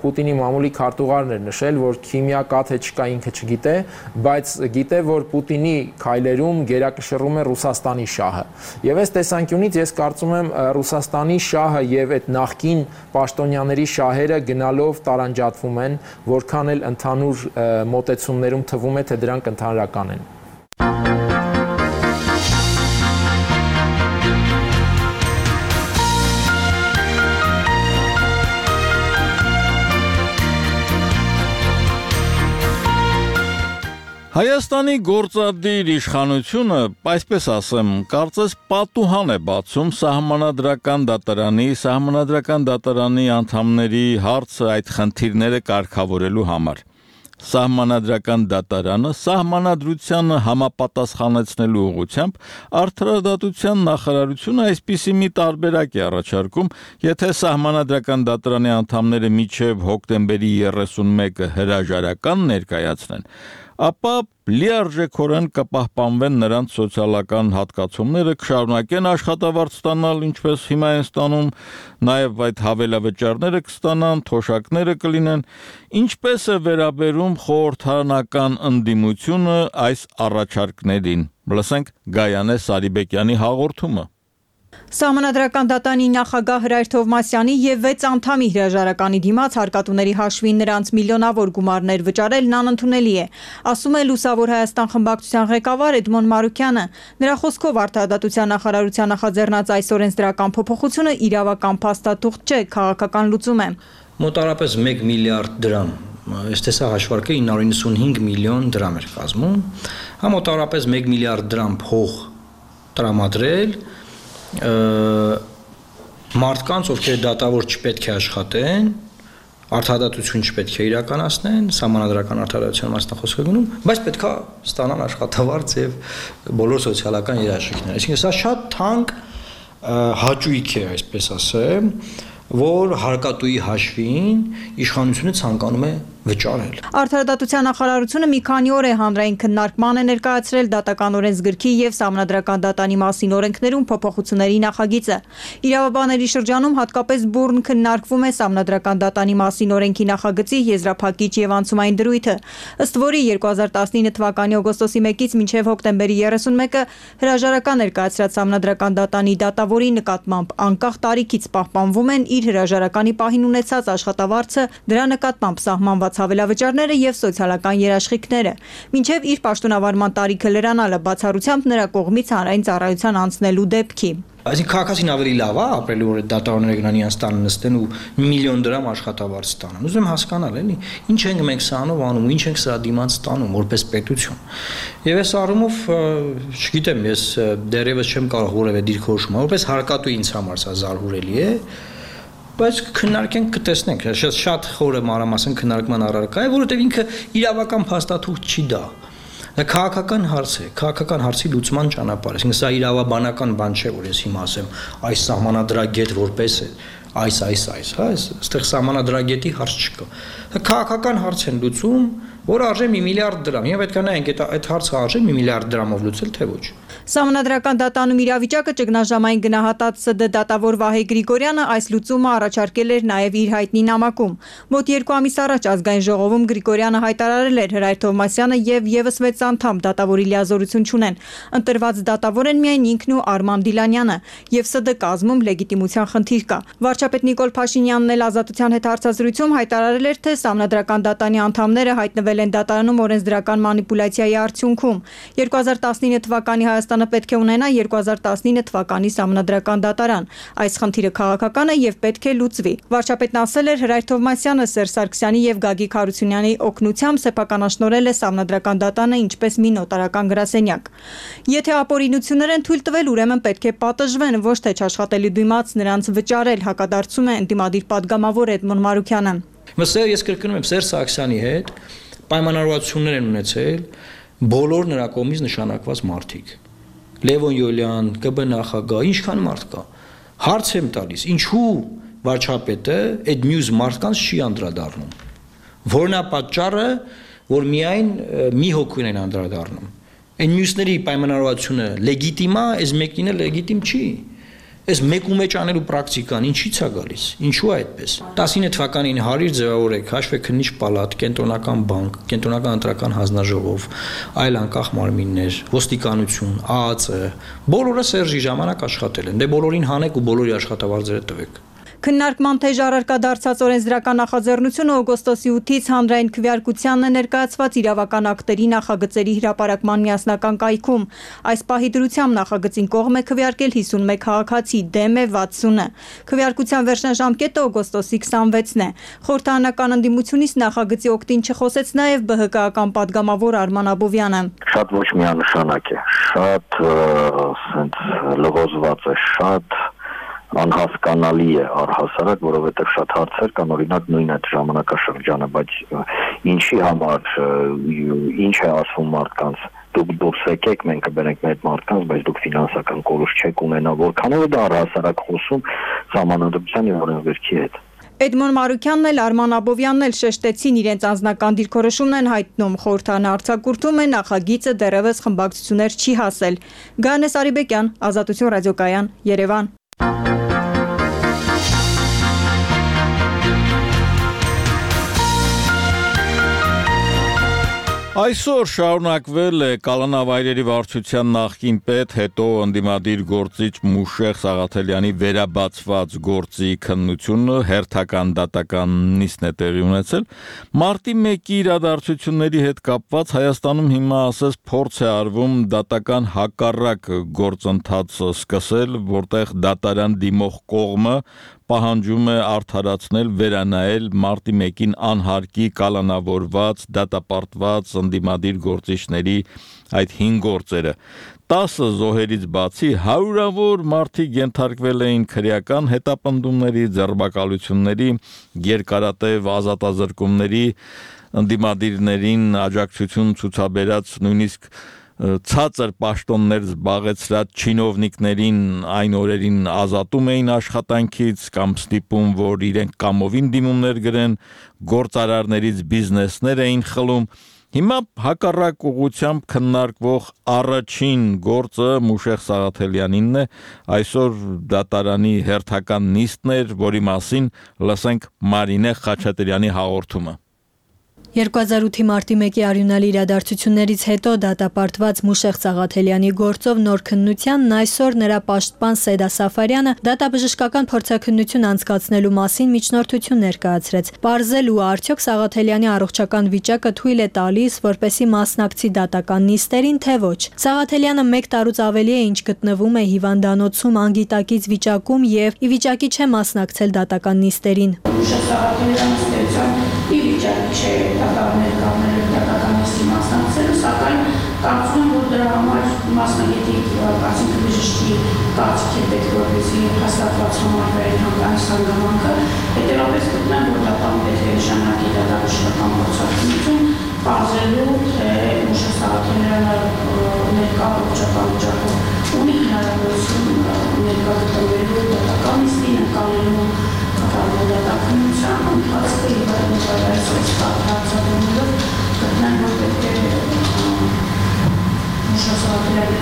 Պուտինի մամուլի քարտուղարն էր նշել, որ քիմիա կա թե չկա ինքը չգիտե, բայց գիտե, որ Պուտինի քայլերում գերակշռում է Ռուսաստանի շահը։ Եվ այս տեսանկյունից ես կարծում եմ Ռուսաստանի շահը եւ այդ նախկին պաշտոնյաների շահերը գնալով տարանջատվում են, որքան էլ ընդհանուր մոտեցումներում թվում է, թե դրանք ընդհանրական են։ Հայաստանի գործադիր իշխանությունը, այսպես ասեմ, կարծես պատուհան է բացում սահմանադրական դատարանի, սահմանադրական դատարանի անդամների հարցը այդ խնդիրները կարգավորելու համար։ Սահմանադրական դատարանը սահմանադրությանը համապատասխանեցնելու ուղղությամբ Արդարադատության նախարարությունը այսպիսի մի տարբերակ է առաջարկում, եթե սահմանադրական դատարանի անդամները մինչև հոկտեմբերի երեսունմեկը հրաժարական ներկայացնեն, ապա լիարժեքորեն կպահպանվեն նրանց սոցիալական հատկացումները, կշարունակեն աշխատավարձ ստանալ, ինչպես հիմա են ստանում, նաև այդ հավելավճարները կստանան, թոշակները կլինեն, ինչպես է վերաբերում խորհրդարանական ընդդիմությունը այս առաջարկներին։ Լսենք Գայանե Սարիբեկյանի հաղորդումը։ Սահմանադրական դատարանի նախագահ Հրայր Թովմասյանի եւ վեց անդամի հրաժարականի դիմաց հարկատուների հաշվին նրանց միլիոնավոր գումարներ վճարելն անընդունելի է, ասում է Լուսավոր Հայաստան խմբակցության ղեկավար Էդմոն Մարուկյանը։ Նրա խոսքով Արդարադատության նախարարության նախաձեռնած այս օրենսդրական փոփոխությունը իրավական փաստաթուղթ չէ, քաղաքական լուծում է։ Մոտարապես մեկ միլիարդ դրամ, այս տեսա հաշվարկը ինը հարյուր նվաթ միլիոն դրամ էր կազմում, համոտարապես մեկ միլիարդ դրամ փող տրամադրել մարդկանց, ովքեր դատավոր չպետք է աշխատեն, արդարադատություն չպետք է իրականացնեն, սահմանադրական արդարադատության մասն խոսքը գնում, բայց պետք է ստանան աշխատավարձ եւ բոլոր սոցիալական երաշխիքները։ Այսինքն սա շատ թանկ հաճույք է, այսպես ասեմ, որ հարկատուի հաշվին իշխանությունը ցանկանում է վճարել։ Արդարադատության նախարարությունը մի քանի օր է հանրային քննարկման է ներկայացրել դատական օրենսգրքի եւ սահմանադրական դատանի մասին օրենքներում փոփոխությունների նախագիծը։ Իրավաբանների շրջանում հատկապես բուռն քննարկվում է սահմանադրական դատանի մասին օրենքի նախագծի եզրափակիչ եւ անցումային դրույթը, ըստ որի երկու հազար տասնինը թվականի օգոստոսի մեկից մինչեւ հոկտեմբերի երեսունմեկը հրաժարական ներկայացրած սահմանադրական դատանի դատավորի նկատմամբ անկախ տարիքից պահպանվում են իր հրաժարականի պահին ունեցած աշխատավարձը, դրա նկատմամբ սահմանված հավելավճարները եւ սոցիալական երաշխիքները, մինչեւ իր պաշտոնավարման տարիքը լրանալը բացառությամբ նրա կողմից հանրային ծառայության անցնելու դեպքի։ Այսինքն քաղաքացին ավելի լավ է ապրելու, որ դատավորները գնան իրենց տանը նստեն ու միլիոն դրամ աշխատավարձ ստանան։ Ուզում եմ հասկանալ, էլի, ինչ ենք մենք սրանով անում, ինչ ենք սրա դիմաց ստանում որպես պետություն։ Եվ այս առումով, չգիտեմ, ես դեռևս չեմ կարող որևէ դիրքորոշում, որպես հարկատու ինձ համար սա զարհուրելի է, բայց քննարկենք կտեսնենք, շատ շատ խորը մանրամասն քննարկման առարկա է, որովհետև ինքը իրավական փաստաթուղթ չի դա։ Դա քաղաքական հարց է, քաղաքական հարցի լուծման ճանապարհ է։ Այսինքն սա իրավաբանական բան չէ, որ ես հիմա ասեմ, այս սահմանադրագետ որպես է, այս, այս, այս, հա, այստեղ սահմանադրագետի հարց չկա։ Դա քաղաքական հարց են լուծում, որը արժե մի միլիարդ դրամ։ Եվ պետք է նայենք այդ այդ հարցը արժե մի միլիարդ դրամով լուծել, թե ոչ։ Սահմանադրական դատանում իրավիճակը ճգնաժամային գնահատած ՍԴ դատավոր Վահե Գրիգորյանը այս լուծումը առաջարկել էր նաև իր հայտնի նամակում։ Մոտ երկու ամիս առաջ ազգային ժողովում Գրիգորյանը հայտարարել էր Հրայր Թովմասյանը եւ եւս վեց անդամ դատավորի լիազորություն չունեն։ Ընտրված դատավոր են միայն ինքն ու Արման Դիլանյանը, եւ ՍԴ կազմում լեգիտիմության խնդիր կա։ Վարչապետ Նիկոլ Փաշինյանն էլ Ազատության հետ հարցազրույցում հայտարարել էր, թե սահմանադրական դատանի անդամները հայտնվել են դատարանում օրենսդրական մանիպուլյացիայի արդյունքում։ երկու հազար տասնինը թվականի Հայաստանը պետք է ունենա երկու հազար տասնինը թվականի սահմանադրական դատարան։ Այս խնդիրը քաղաքական է եւ պետք է լուծվի։ Վարչապետն ասել էր Հրայր Թովմասյանը Սերժ Սարգսյանի եւ Գագիկ Հարությունյանի օգնությամբ սեփականաշնորհել է սահմանադրական դատանը ինչպես մի նոտարական գրասենյակ։ Եթե ապօրինություններ են թույլ տվել, ուրեմն պետք է պատժվեն, ոչ թե չաշխատելի դիմաց նրանց վճարել, հակադարձում է ընդդիմադիր падգամավոր Էդմոն Մարուքյանը։ Մսեր ես կրկնում եմ Սերժ Սարգսյանի հետ պայմանավորվածություններ են ունեցել բոլոր նրա կողմից նշանակված մարդիկ։ Լևոն Յոլյան, Կ B նախագահ, ինչքան մարդ կա։ Հարց եմ տալիս, ինչու վարչապետը այդ մյուս մարդկանց չի անդրադառնում։ Որն է պատճառը, որ միայն մի հոգուն են անդրադառնում։ Այն մյուսների պայմանավորվածությունը լեգիտիմ է, այս մեկինը լեգիտիմ չի։ Այս մեկու մեջ անելու պրակտիկան ինչի՞ց է գալիս։ Ինչու է այդպես։ տասինը թվականին հարյուր ձևավորեք, հաշվեք քննիչ պալատ, կենտրոնական բանկ, կենտրոնական ընտրական հանձնաժողով, այլ անկախ մարմիններ, ոստիկանություն, Ա Ա Ծ, բոլորը Սերժի ժամանակ աշխատել են։ Դե բոլորին հանեք ու բոլորի աշխատավարձերը տվեք։ Քննարկման թեժ առարկա դարձած օրենսդրական նախաձեռնությունը օգոստոսի ութից հանրային քվեարկությանն է ներկայացված իրավական ակտերի նախագծերի հրապարակման միասնական կայքում։ Այս պահի դրությամբ նախագծին կողմ է քվեարկել հիսունմեկ քաղաքացի, դեմ է վաթսունը։ Քվեարկության վերջնաժամկետը օգոստոսի քսանվեցն է։ Խորհրդարանական ընդդիմությունից նախագծի օգտին չխոսեց նաև Բ Հ Կ-ական падգամավոր Արման Աբովյանը։ Շատ ոչ միանշանակ է, շատ սենց լղոզված է, շատ անհասկանալի է առհասարակ, որովհետև շատ հարցեր կան, օրինակ նույն այդ ժամանակաշրջանը, բայց ինչի համար, ինչ է ասվում մարդկանց, դուք դուրս եկեք, մենք կբերենք մեր մարդկանց, բայց դուք ֆինանսական կորուստ չեք ունենա, որքանով է դա առհասարակ խոսում սահմանադրության եւ օրենսգրքի հետ։ Էդմոն Մարուքյանն էլ Արման Աբովյանն էլ շեշտեցին իրենց անձնական դիրքորոշումն են հայտնում, խորհրդարանը արձակուրդում է նախագիծը դեռևս խմբակցություններ չի հասել։ Գանես Արիբեկյան, Ազատություն ռադիոկայան, Երևան։ Այսօր շարունակվել է Կալանավայրերի վարչության նախկին պետ, հետո ընդդիմադիր գործիչ Մուշեղ Սաղաթելյանի վերաբացված գործի քննությունը, հերթական դատական նիստն է տեղի ունեցել։ Մարտի մեկի իրադարձությունների հետ կապված Հայաստանում հիմա ասես փորձ է արվում դատական հակառակ գործընթաց սկսել, որտեղ դատարան դիմող կողմը պահանջում է արդարացնել, վերանայել մարտի մեկին անհարկի կալանավորված, դատապարտված ընդդիմադիր գործիչների այդ հինգ գործերը։ տասը զոհերից բացի հարյուրավոր մարդիկ ենթարկվել էին քրեական հետապնդումների, ձերբակալությունների, երկարատև ազատազրկումների, ընդդիմադիրներին աջակցություն ցուցաբերած նույնիսկ ցածր պաշտոններ զբաղեցրած չինովնիկներին այն օրերին ազատում էին աշխատանքից կամ ստիպում, որ իրենք կամովին դիմումներ գրեն, գործարարներից բիզնեսներ էին խլում։ Հիմա հակառակ ուղղությամբ քննարկվող առաջին գործը Մուշեղ Սաղաթելյանինն է, այսօր դատարանի հերթական նիստն էր, որի մասին լսենք Մարինե Խաչատրյանի հաղորդումը։ երկու հազար ութի մարտի մեկի արյունալի իրադարձություններից հետո դատապարտված Մուշեղ Սաղաթելյանի գործով նոր քննությանն այսօր նրա պաշտպան Սեդա Սաֆարյանը դատաբժշկական փորձաքննություն անցկացնելու մասին միջնորդություն ներկայացրեց։ Պարզելու արդյոք Սաղաթելյանի առողջական վիճակը թույլ է տալիս, որպեսզի մասնակցի դատական նիստերին, թե ոչ։ Սաղաթելյանը մեկ տարուց ավելի է ինչ գտնվում է հիվանդանոցում անգիտակից վիճակում եւ ի վիճակի չէ մասնակցել դատական նիստերին։ Մուշեղ Սաղաթելյանը ի վիճակի չէ դատարաններ կազմելու դատական նիստի մասնակցելու, սակայն կարծում եմ, որ դրա համար մասնագետի այսինքն բժշկի կարծիք է պետք, որպեսզի հաստատված համարվի հանգամանքս հանգամանքը, հետևաբար գտնում եմ, որ դատարանը պետք է նշանակի դատաբժշկական փորձաքննություն, պարզելու, թե Մուշեղ Սաղաթելյանը ներկա առողջական վիճակով ունի հնարավորություն ներկա գտնվելու դատական նիստին, ընկալելու դատաքննության ընթացքը եւ այլ այսպես հարցադրումներով գտնեմ, որ պետք է Մուշեղ Սաղաթելյանի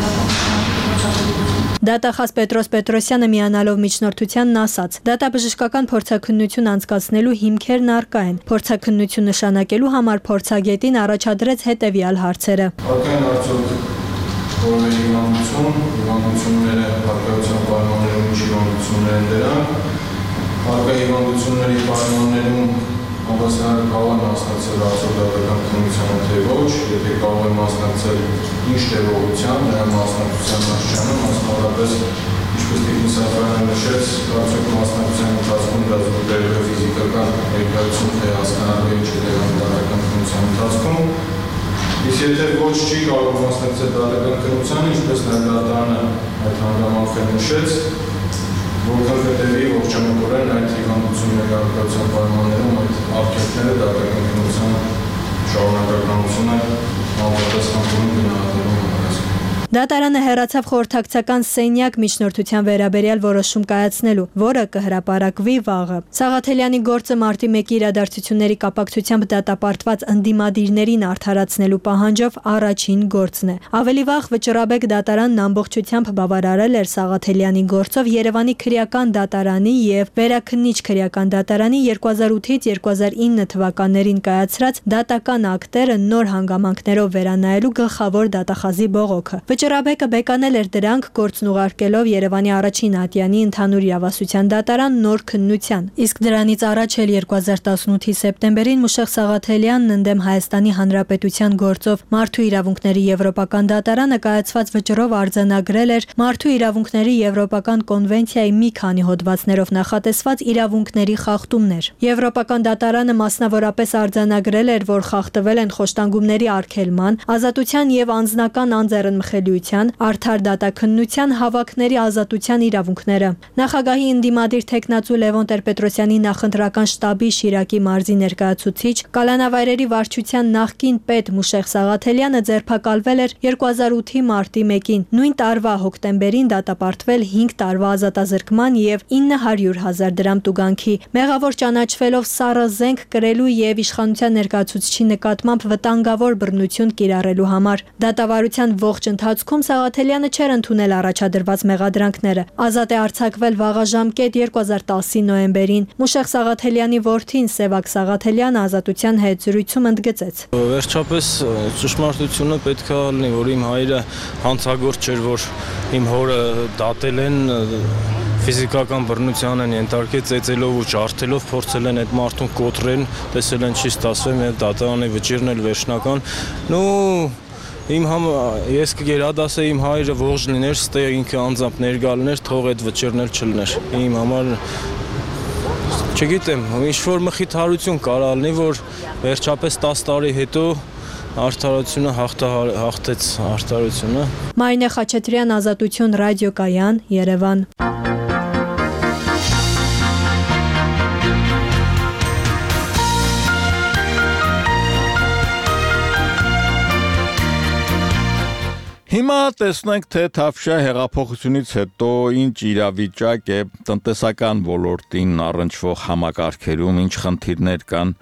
Դատախազ Պետրոս Պետրոսյանը միանալով միջնորդությանն ասաց. դատաբժշկական փորձաքննություն անցկացնելու հիմքերն առկա են։ Փորձաքննություն նշանակելու համար փորձագետին առաջադրեց հետևյալ հարցերը. Արկային արդյոք որևէ հիվանդություն, հիվանդությունները հարկայության պայմաններում ինչ հիվանդություններ են դրանք, հարկայի հիվանդությունների պայմաններում համասարը կարող է մասնակցել արդյոք դատական քննությանը, թե ոչ, եթե կարող է մասնակցել ինչ տևողությամբ, նրա մասնակցության աստիճանը, մասնավորապես ինչպես Տիկին Սաֆարյանը նշեց, արդյոք մասնակցության ընթացքում դա զուգահեռ է ֆիզիկական ներկայություն, թե հասկանալու ինչ է դերում դատական քննության ընթացքում, իսկ եթե ոչ չի կարող մասնակցել դատական քննությանը, ինչպես նաև դատարանը այդ հանգամանքները նշեց, որքան հետևի ողջամտորեն այդ հիվանդությունների հարկայության պայմաններում այդ արգելքները դատական քննության շարունակականությունը համապատասխանորեն գնահատելու համար։ Դատարանը հեռացավ խորհրդակցական սենյակ միջնորդության վերաբերյալ որոշում կայացնելու, որը կհրապարակվի վաղը։ Սաղաթելյանի գործը մարտի մեկի իրադարձությունների կապակցությամբ դատապարտված ընդդիմադիրներին արդարացնելու պահանջով առաջին գործն է։ Ավելի վաղ Վճռաբեկ դատարանն ամբողջությամբ բավարարել էր Սաղաթելյանի գործով Երևանի քրեական դատարանի եւ Վերաքննիչ քրեական դատարանի երկու հազար ութից երկու հազար ինը թվականներին կայացրած դատական ակտերը նոր հանգամանքներով վերանայելու գլխավոր դատախազի բողոքը։ Վճռաբեկը բեկանել էր դրանք գործն ուղարկելով Երևանի առաջին ատյանի ընդհանուր իրավասության դատարան նոր քննության։ Իսկ դրանից առաջ էլ երկու հազար տասնութի սեպտեմբերին Մուշեղ Սաղաթելյանն ընդդեմ Հայաստանի Հանրապետության գործով Մարդու իրավունքների եվրոպական դատարանը կայացված վճռով արձանագրել էր Մարդու իրավունքների եվրոպական կոնվենցիայի մի քանի հոդվածներով նախատեսված իրավունքների խախտումներ։ Եվրոպական դատարանը մասնավորապես արձանագրել էր, որ խախտվել են խոշտանգումների արգելման, ազատության եւ անձնական անձեռնմխելիության, արդար դատաքննության, հավաքների ազատության իրավունքները։ Նախագահի ընդդիմադիր թեկնածու Լևոն Տեր-Պետրոսյանի նախընտրական շտաբի Շիրակի մարզի ներկայացուցիչ, Կալանավայրերի վարչության նախկին պետ Մուշեղ Սաղաթելյանը ձերբակալվել էր երկու հազար ութի մարտի մեկին, նույն տարվա հոկտեմբերին դատապարտվել հինգ տարվա ազատազրկման եւ ինը հարյուր հազար դրամ տուգանքի, մեղավոր ճանաչվելով սառը զենք կրելու եւ իշխանության ներկայացուցչի նկատմամբ վտանգավոր բռնություն կիրառելու համար։ Դատավարության ողջ ընթացքում Սաղաթելյանը չէր ընդունել առաջադրված մեղադրանքները։ Ազատ է արձակվել վաղաժամկետ երկու հազար տասի նոյեմբերին։ Մուշեղ Սաղաթելյանի որդին Սևակ Սաղաթելյանը ազատության հետ զրույցում ընդգծեց. Վերջապես ճշմարտությունը պետք է լինի, որ իմ հայրը հանցագործ չէր, որ իմ հորը դատել են, ֆիզիկական բռնության են ենթարկել, ծեծելով ու ջարդելով, փորձել են այդ մարդուն կոտրեն, տեսել են չի ստացվում, եւ դատարանի վճիրն էլ վերջնական։ Նու Իմ համ ես կգերադասեի իմ հայրը ողջ լիներ, ստեղ ինքը անձամբ ներկա լիներ, թող այդ վճիռն էլ չլներ։ Իմ համար Չգիտեմ, ինչ-որ մխիթարություն կարող լինի, որ վերջապես տասը տարի հետո արդարությունը հաղթեց արդարությունը։ Մարինե Խաչատրյան, Ազատություն ռադիոկայան, Երևան։ Հիմա տեսնենք, թե Թավշյա հեղափոխությունից հետո ինչ իրավիճակ է տնտեսական ոլորտին առնչվող համակարգերում, ինչ խնդիրներ կան։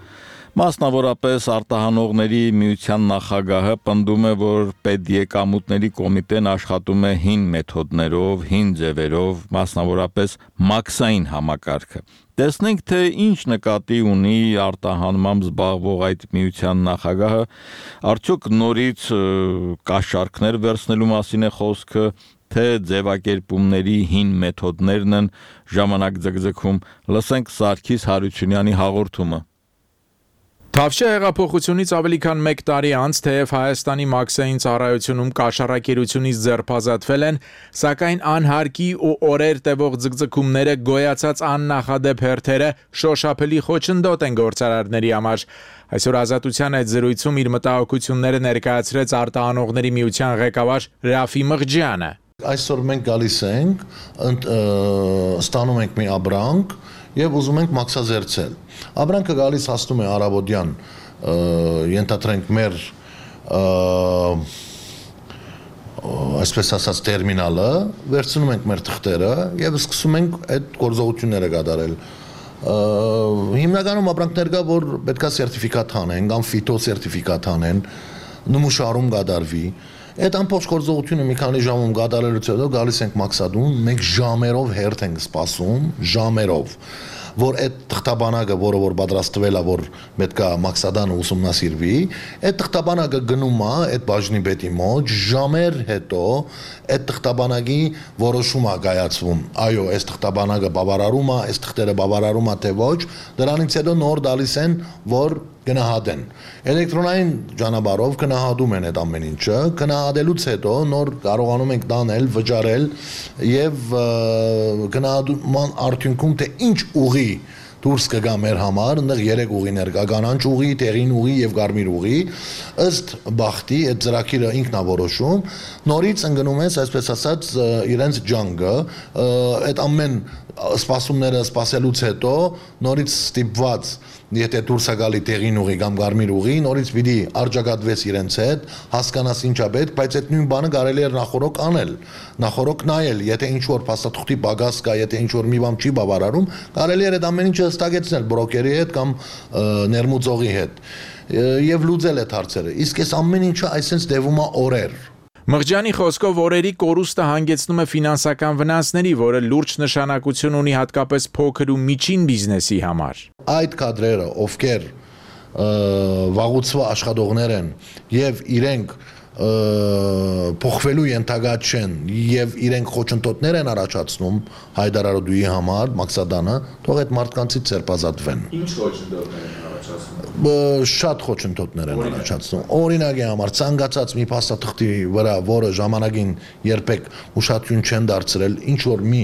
Մասնավորապես արտահանողների միության նախագահը պնդում է, որ պետեկամուտների կոմիտեն աշխատում է հին մեթոդներով, հին ձևերով, մասնավորապես մաքսային համակարգը։ Տեսնենք, թե ինչ նկատի ունի արտահանմամբ զբաղվող այդ միության նախագահը, արդյոք նորից կաշառքներ վերցնելու մասին է խոսքը, թե ձևակերպումների հին մեթոդներն են ժամանակ ձգձգում։ Լսենք Սարգիս Հարությունյանի հաղորդումը։ Թավշյա հեղափոխությունից ավելի քան մեկ տարի անց, թեև Հայաստանի մաքսային ծառայությունում կաշառակերությունից ձերբազատվել են, սակայն անհարկի ու օրեր տևող ձգձգումները, գոյացած աննախադեպ հերթերը շոշափելի խոչընդոտ են գործարարների համար։ Այսօր Ազատության այդ զրույցում իր մտահոգությունները ներկայացրեց արտահանողների միության ղեկավար Ռաֆի Մղջյանը։ Այսօր մենք գալիս ենք, ստանում ենք մի ապրանք եւ ուզում ենք մաքսազերծել։ Ապրանքը գալիս հասնում է Արաբոդյան, ենթադրենք մեր այսպես ասած տերմինալը, վերցնում ենք մեր թղթերը եւ սկսում ենք այդ գործողությունները կատարել։ Հիմնականում ապրանքներ կա, որ պետքա սերտիֆիկատ հանեն, կամ ֆիտո սերտիֆիկատ հանեն, նմուշարում կատարվի։ Այդ ամբողջ գործողությունը մի քանի ժամում կատարելուց հետո գալիս ենք մաքսադուն, մենք ժամերով հերթ ենք սպասում, ժամերով, որ այդ թղթաբանակը, որը որ պատրաստվել է, որ պետք է մաքսադանը ուսումնասիրվի, այդ թղթաբանակը գնում է այդ բաժնի պետի մոտ, ժամեր հետո այդ թղթաբանակի որոշում է կայացվում։ Այո, այս թղթաբանակը բավարարում է, այս թղթերը բավարարում է թե ոչ, դրանից հետո նոր դալիս են, որ գնահատեն։ Էլեկտրոնային ճանապարհով գնահատում են այդ ամեն ինչը, գնահատելուց հետո նոր կարողանում ենք դանել, վճարել եւ գնահատման արդյունքում թե ինչ ուղի դուրս կգա մեր համար, այնտեղ երեք ուղիներ կա, կանաչ ուղի, տեղին ուղի եւ կարմիր ուղի, ըստ բախտի այդ ծրագիրը ինքն է որոշում, նորից ընկնում ես, այսպես ասած, իրենց ջանգը, այդ ամեն սպասումները սպասելուց հետո նորից ստիպված, եթե դուրս է գալի տեղին ուղի կամ կարմիր ուղի, նորից պիտի արձակատվես իրենց հետ, հասկանաս ինչա պետք, բայց այդ նույն բանը կարելի է նախորոք անել, նախորոք նայել, եթե ինչ որ փաստաթղթի պակաս կա, եթե ինչ որ մի բան չի բավարարում, կարելի է այդ ամեն ինչը հստակեցնել բրոկերի հետ կամ ներմուծողի հետ եւ լուծել այդ հարցերը։ Իսկ այս ամեն ինչը այսպես տևում է օրեր։ Մղջյանի խոսքով օրերի կորուստը հանգեցնում է ֆինանսական վնասների, որը լուրջ նշանակություն ունի հատկապես փոքր ու միջին բիզնեսի համար։ Այդ կադրերը, ովքեր վաղուցվա աշխատողներ են եւ իրենք փոխվելու ենթակա չեն եւ իրենք խոչընդոտներ են առաջացնում հայտարարությունի համար, մաքսադանը, թող այդ մարդկանցից ձերբազատվեն։ Ինչ խոչընդոտներ են առաջացնում։ Շատ խոչընդոտներ են առաջացնում։ Օրինակի համար ցանկացած մի փաստաթղթի վրա, որը ժամանակին երբեք ուշադրություն չեն դարձրել, ինչ որ մի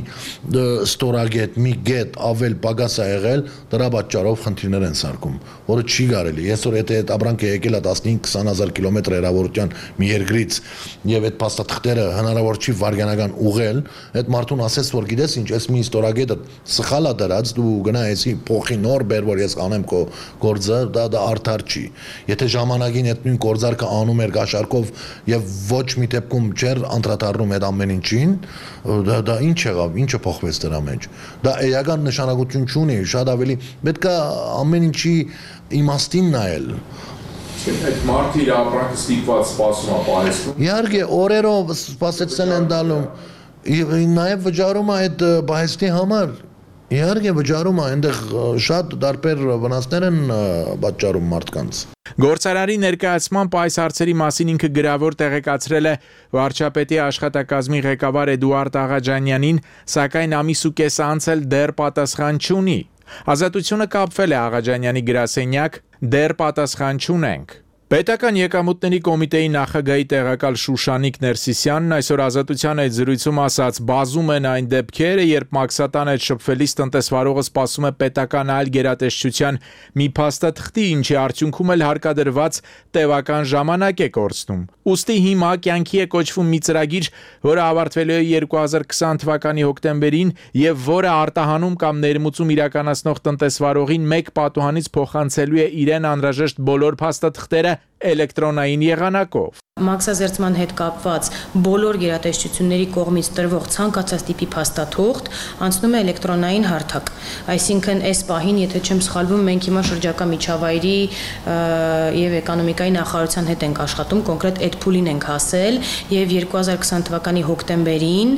ստորագետ, մի գետ ավել պակաս է եղել, դրա պատճառով խնդիրներ են սարքում, որը չի կարելի։ Այսօր եթե այդ ապրանքը եկել է տասնհինգ քսան հազար կիլոմետր հեռավորության մի երկրից եւ այդ փաստաթղթերը հնարավոր չի վարյանական ուղղել, այդ մարդուն ասես որ գիտես ինչ, այս մի ստորագետը սխալ է դրած, դու գնայեցի փոխի նոր բեր, որ ես կանեմ քո գործը, դա դա արդար չի։ Եթե ժամանակին այդ նույն գործարքը անում էր գաշարկով եւ ոչ մի դեպքում չէր անդրադառնում այդ ամեն ինչին, դա դա ինչ եղավ, ինչը փոխվեց դրա մեջ։ Դա էական նշանակություն չունի, շատ ավելի պետք է ամեն ինչի իմաստին նայել։ Այդ մարդը իր ապրանքը ստիպված սպասում է պահեստում։ Իհարկե, օրերով սպասեցնել են դալում։ Նաև վճարում է այդ պահեստի համար։ Իհարկե վճարում է, այնտեղ շատ տարբեր վնասներ են պատճառում մարդկանց։ Գործարարի ներկայացմամբ այս հարցերի մասին ինքը գրավոր տեղեկացրել է վարչապետի աշխատակազմի ղեկավար Էդուարդ Աղաջանյանին, սակայն ամիս ու կես անց էլ դեռ պատասխան չունի։ Ազատությունը կապվել է Աղաջանյանի գրասենյակ, դեռ պատասխան չունենք։ Պետական եկամուտների կոմիտեի նախագահի տեղակալ Շուշանիկ Ներսիսյանն այսօր Ազատության հետ զրույցում ասաց, բազում են այն դեպքերը, երբ մաքսատան հետ շփվելիս տնտեսվարողը սպասում է պետական այլ գերատեսչության մի փաստաթղթի, ինչի արդյունքում էլ հարկադրված տևական ժամանակ է կորցնում։ Ուստի հիմա կյանքի է կոչվում մի ծրագիր, որը ավարտվելու է երկու հազար քսան թվականի հոկտեմբերին եւ որը արտահանում կամ ներմուծում իրականացնող տնտեսվարողին մեկ պատուհանից փոխանցելու է իրեն անհրաժեշտ բոլոր փաստաթղթերը էլեկտրոնային եղանակով։ Մաքսազերծման հետ կապված բոլոր գերատեսչությունների կողմից տրվող ցանկացած տիպի փաստաթուղթ անցնում է էլեկտրոնային հարթակ։ Այսինքն այս պահին, եթե չեմ սխալվում, մենք հիմա շրջակա միջավայրի եւ էկոնոմիկայի նախարարության հետ ենք աշխատում, կոնկրետ այդ փուլին ենք հասել եւ երկու հազար քսան թվականի հոկտեմբերին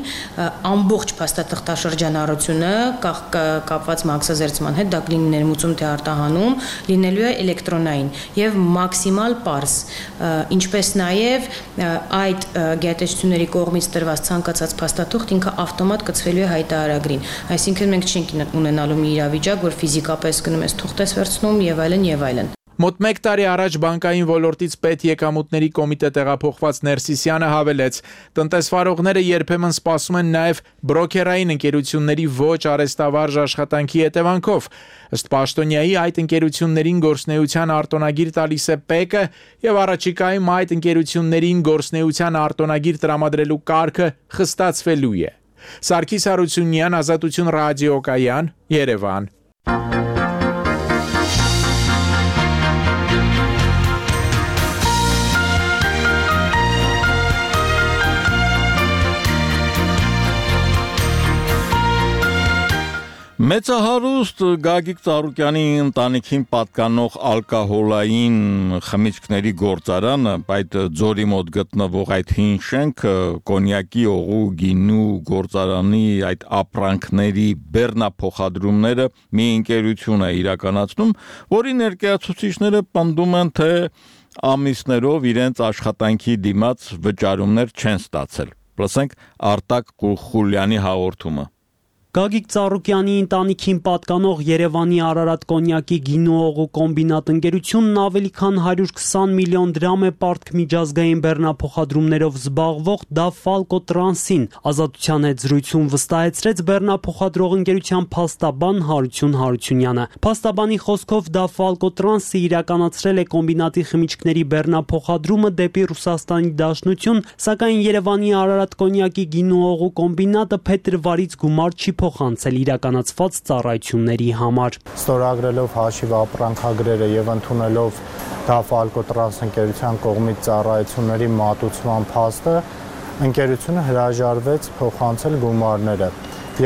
ամբողջ փաստաթղթաշրջանառությունը կապված մաքսազերծման հետ, դա կլինի ներմուծում թե արտահանում, լինելու է էլեկտրոնային եւ մաքսիմալ պարզ, ինչպես նաեւ Եվ այդ գերատեսչությունների կողմից տրված ցանկացած փաստաթուղթ ինքը ավտոմատ կցվելու է հայտարարագրին։ Այսինքն մենք չենք ունենալու մի իրավիճակ, որ ֆիզիկապես գնում ես թուղթ ես վերցնում եւ այլն եւ այլն։ Մոտ մեկ տարի առաջ բանկային ոլորտից պետ եկամուտների կոմիտե տեղափոխված Ներսիսյանը հավելեց, տնտեսվարողները երբեմն սպասում են նաև բրոքերային ընկերությունների ոչ արհեստավարժ աշխատանքի հետևանքով։ Ըստ պաշտոնյայի այդ ընկերություններին գործնեության արտոնագիր տալիս է ՊԵԿ-ը եւ առաջիկայում այդ ընկերություններին գործնեության արտոնագիր տրամադրելու կարգը խստացվելու է։ Սարգիս Հարությունյան, Ազատություն ռադիոկայան, Երևան։ Մեծահարուստ Գագիկ Ծառուկյանի ընտանիքին պատկանող ալկոհոլային խմիչքների գործարանը, այդ ձորի մոտ գտնվող այդ հին շենքը կոնյակի, օղու, գինու գործարանի այդ ապրանքների բեռնափոխադրումները մի ընկերություն է իրականացնում, որի ներկայացուցիչները պնդում են, թե ամիսներով իրենց աշխատանքի դիմաց վճարումներ չեն ստացել։ Լսենք Արտակ Խուլյանի հաղորդումը։ Գագիկ Ծառուկյանի ընտանիքին պատկանող Երևանի Արարատ կոնյակի գինու օղու կոմբինատ ընկերությունն ավելի քան հարյուր քսան միլիոն դրամ է պարտք միջազգային բեռնափոխադրումներով զբաղվող Դաֆալկո Տրանսին։ Ազատության հետ զրույցում վստահեցրեց բեռնափոխադրող ընկերության փաստաբան Հարություն Հարությունյանը։ Փաստաբանի խոսքով Դաֆալկո Տրանսը իրականացրել է կոմբինատի խմիչքների բեռնափոխադրումը դեպի Ռուսաստանի Դաշնություն, սակայն Երևանի Արարատ կոնյակի գինու օղու կոմբինատը փետրվարից գումար չի փոխանցել իրականացված ծառայությունների համար։ Ստորագրելով հաշիվ ապրանքագրերը եւ ընդունելով Դաֆալկո Տրանս ընկերության կողմից ծառայությունների մատուցման փաստը, ընկերությունը հրաժարվեց փոխանցել գումարները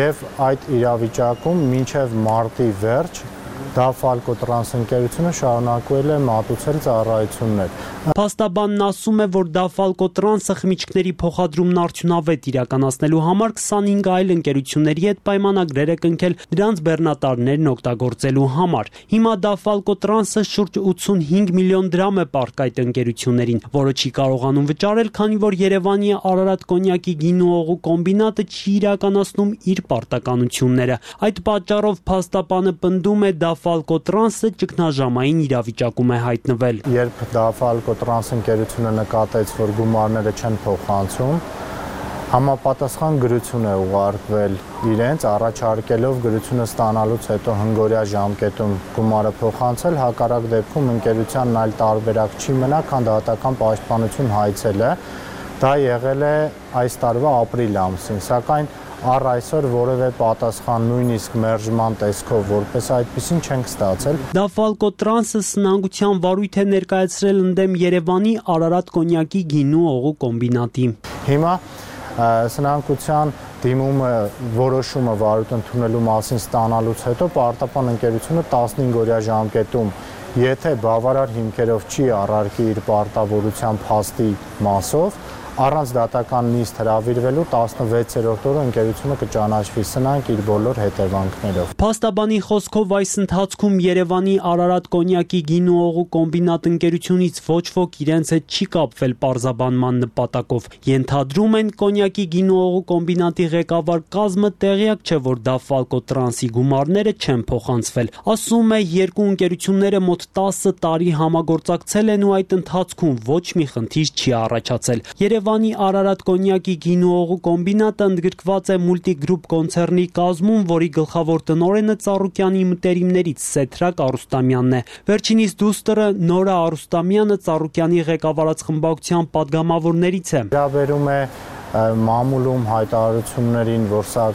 եւ այդ իրավիճակում մինչեւ մարտի վերջ Դաֆալկո Տրանս ընկերությունը շարունակվել է մատուցել ծառայություններ։ Փաստաբանն ասում է, որ Դաֆալկո Տրանսը խմիչքների փոխադրումն արդյունավետ իրականացնելու համար քսանհինգ այլ ընկերությունների հետ պայմանագրեր է կնքել դրանց բեռնատարներն օգտագործելու համար։ Հիմա Դաֆալկո Տրանսը շուրջ ութսունհինգ միլիոն դրամ է պարտք այդ ընկերություններին, որը չի կարողանում վճարել, քանի որ Երևանի Արարատ կոնյակի գինու օղու կոմբինատը չի իրականացնում իր պարտականությունները։ Այդ պատճառով փաստաբանը պնդում է Դաֆալկո Տրանսը ճգնաժամային իրավիճակում է հայտնվել։ Երբ Դաֆալկո Տրանս ընկերությունը նկատեց, որ գումարները չեն փոխանցում, համապատասխան գրություն է ուղարկվել իրենց, առաջարկելով գրությունը ստանալուց հետո հնգօրյա ժամկետում գումարը փոխանցել, հակառակ դեպքում ընկերությանն այլ տարբերակ չի մնա, քան դատական պաշտպանություն հայցելը։ Դա եղել է այս տարվա ապրիլ ամսին, սակայն առ այսօր որևէ պատասխան նույնիսկ մերժման տեսքով որպես այդպեսին չենք ստացել։ Դաֆալկո Տրանսը սնանկության վարույթ է ներկայացրել ընդդեմ Երևանի Արարատ կոնյակի գինու օղու կոմբինատի։ Հիմա սնանկության դիմումը որոշումը վարույթ ընդունելու մասին ստանալուց հետո պարտապան ընկերությունը տասնհինգ-օրյա ժամկետում եթե բավարար հիմքերով չի առարկի իր պարտավորության փաստի մասով, առանց դատական նիստ հրավիրվելու տասնվեցերորդ օրը ընկերությունը կճանաչվի սնանկ իր բոլոր հետևանքներով։ Փաստաբանի խոսքով այս ընթացքում Երևանի Արարատ կոնյակի գինու օղու կոմբինատ ընկերությունից ոչ ոք իրենց հետ չի կապվել պարզաբանման նպատակով։ Ենթադրում են կոնյակի գինու օղու կոմբինատի ղեկավար կազմը տեղյակ չէ, որ Դավֆալկո տրանսի գումարները չեն փոխանցվել։ Ասում է, երկու ընկերությունները մոտ տասը տարի համագործակցել են ու այդ ընթացքում ոչ մի խնդիր չի առաջացել։ Երևանի Արարատ կոնյակի գինու օղու կոմբինատը ընդգրկված է Multigroup կոնցեռնի կազմում, որի գլխավոր տնօրենը Ծառուկյանի մտերիմներից Սեթրակ Արուստամյանն է։ Վերջինիս դուստրը Նորա Արուստամյանը Ծառուկյանի ղեկավարած խմբակցության падգամավորներից է։ Վերաբերում է մամուլում հայտարարություններին, որ սա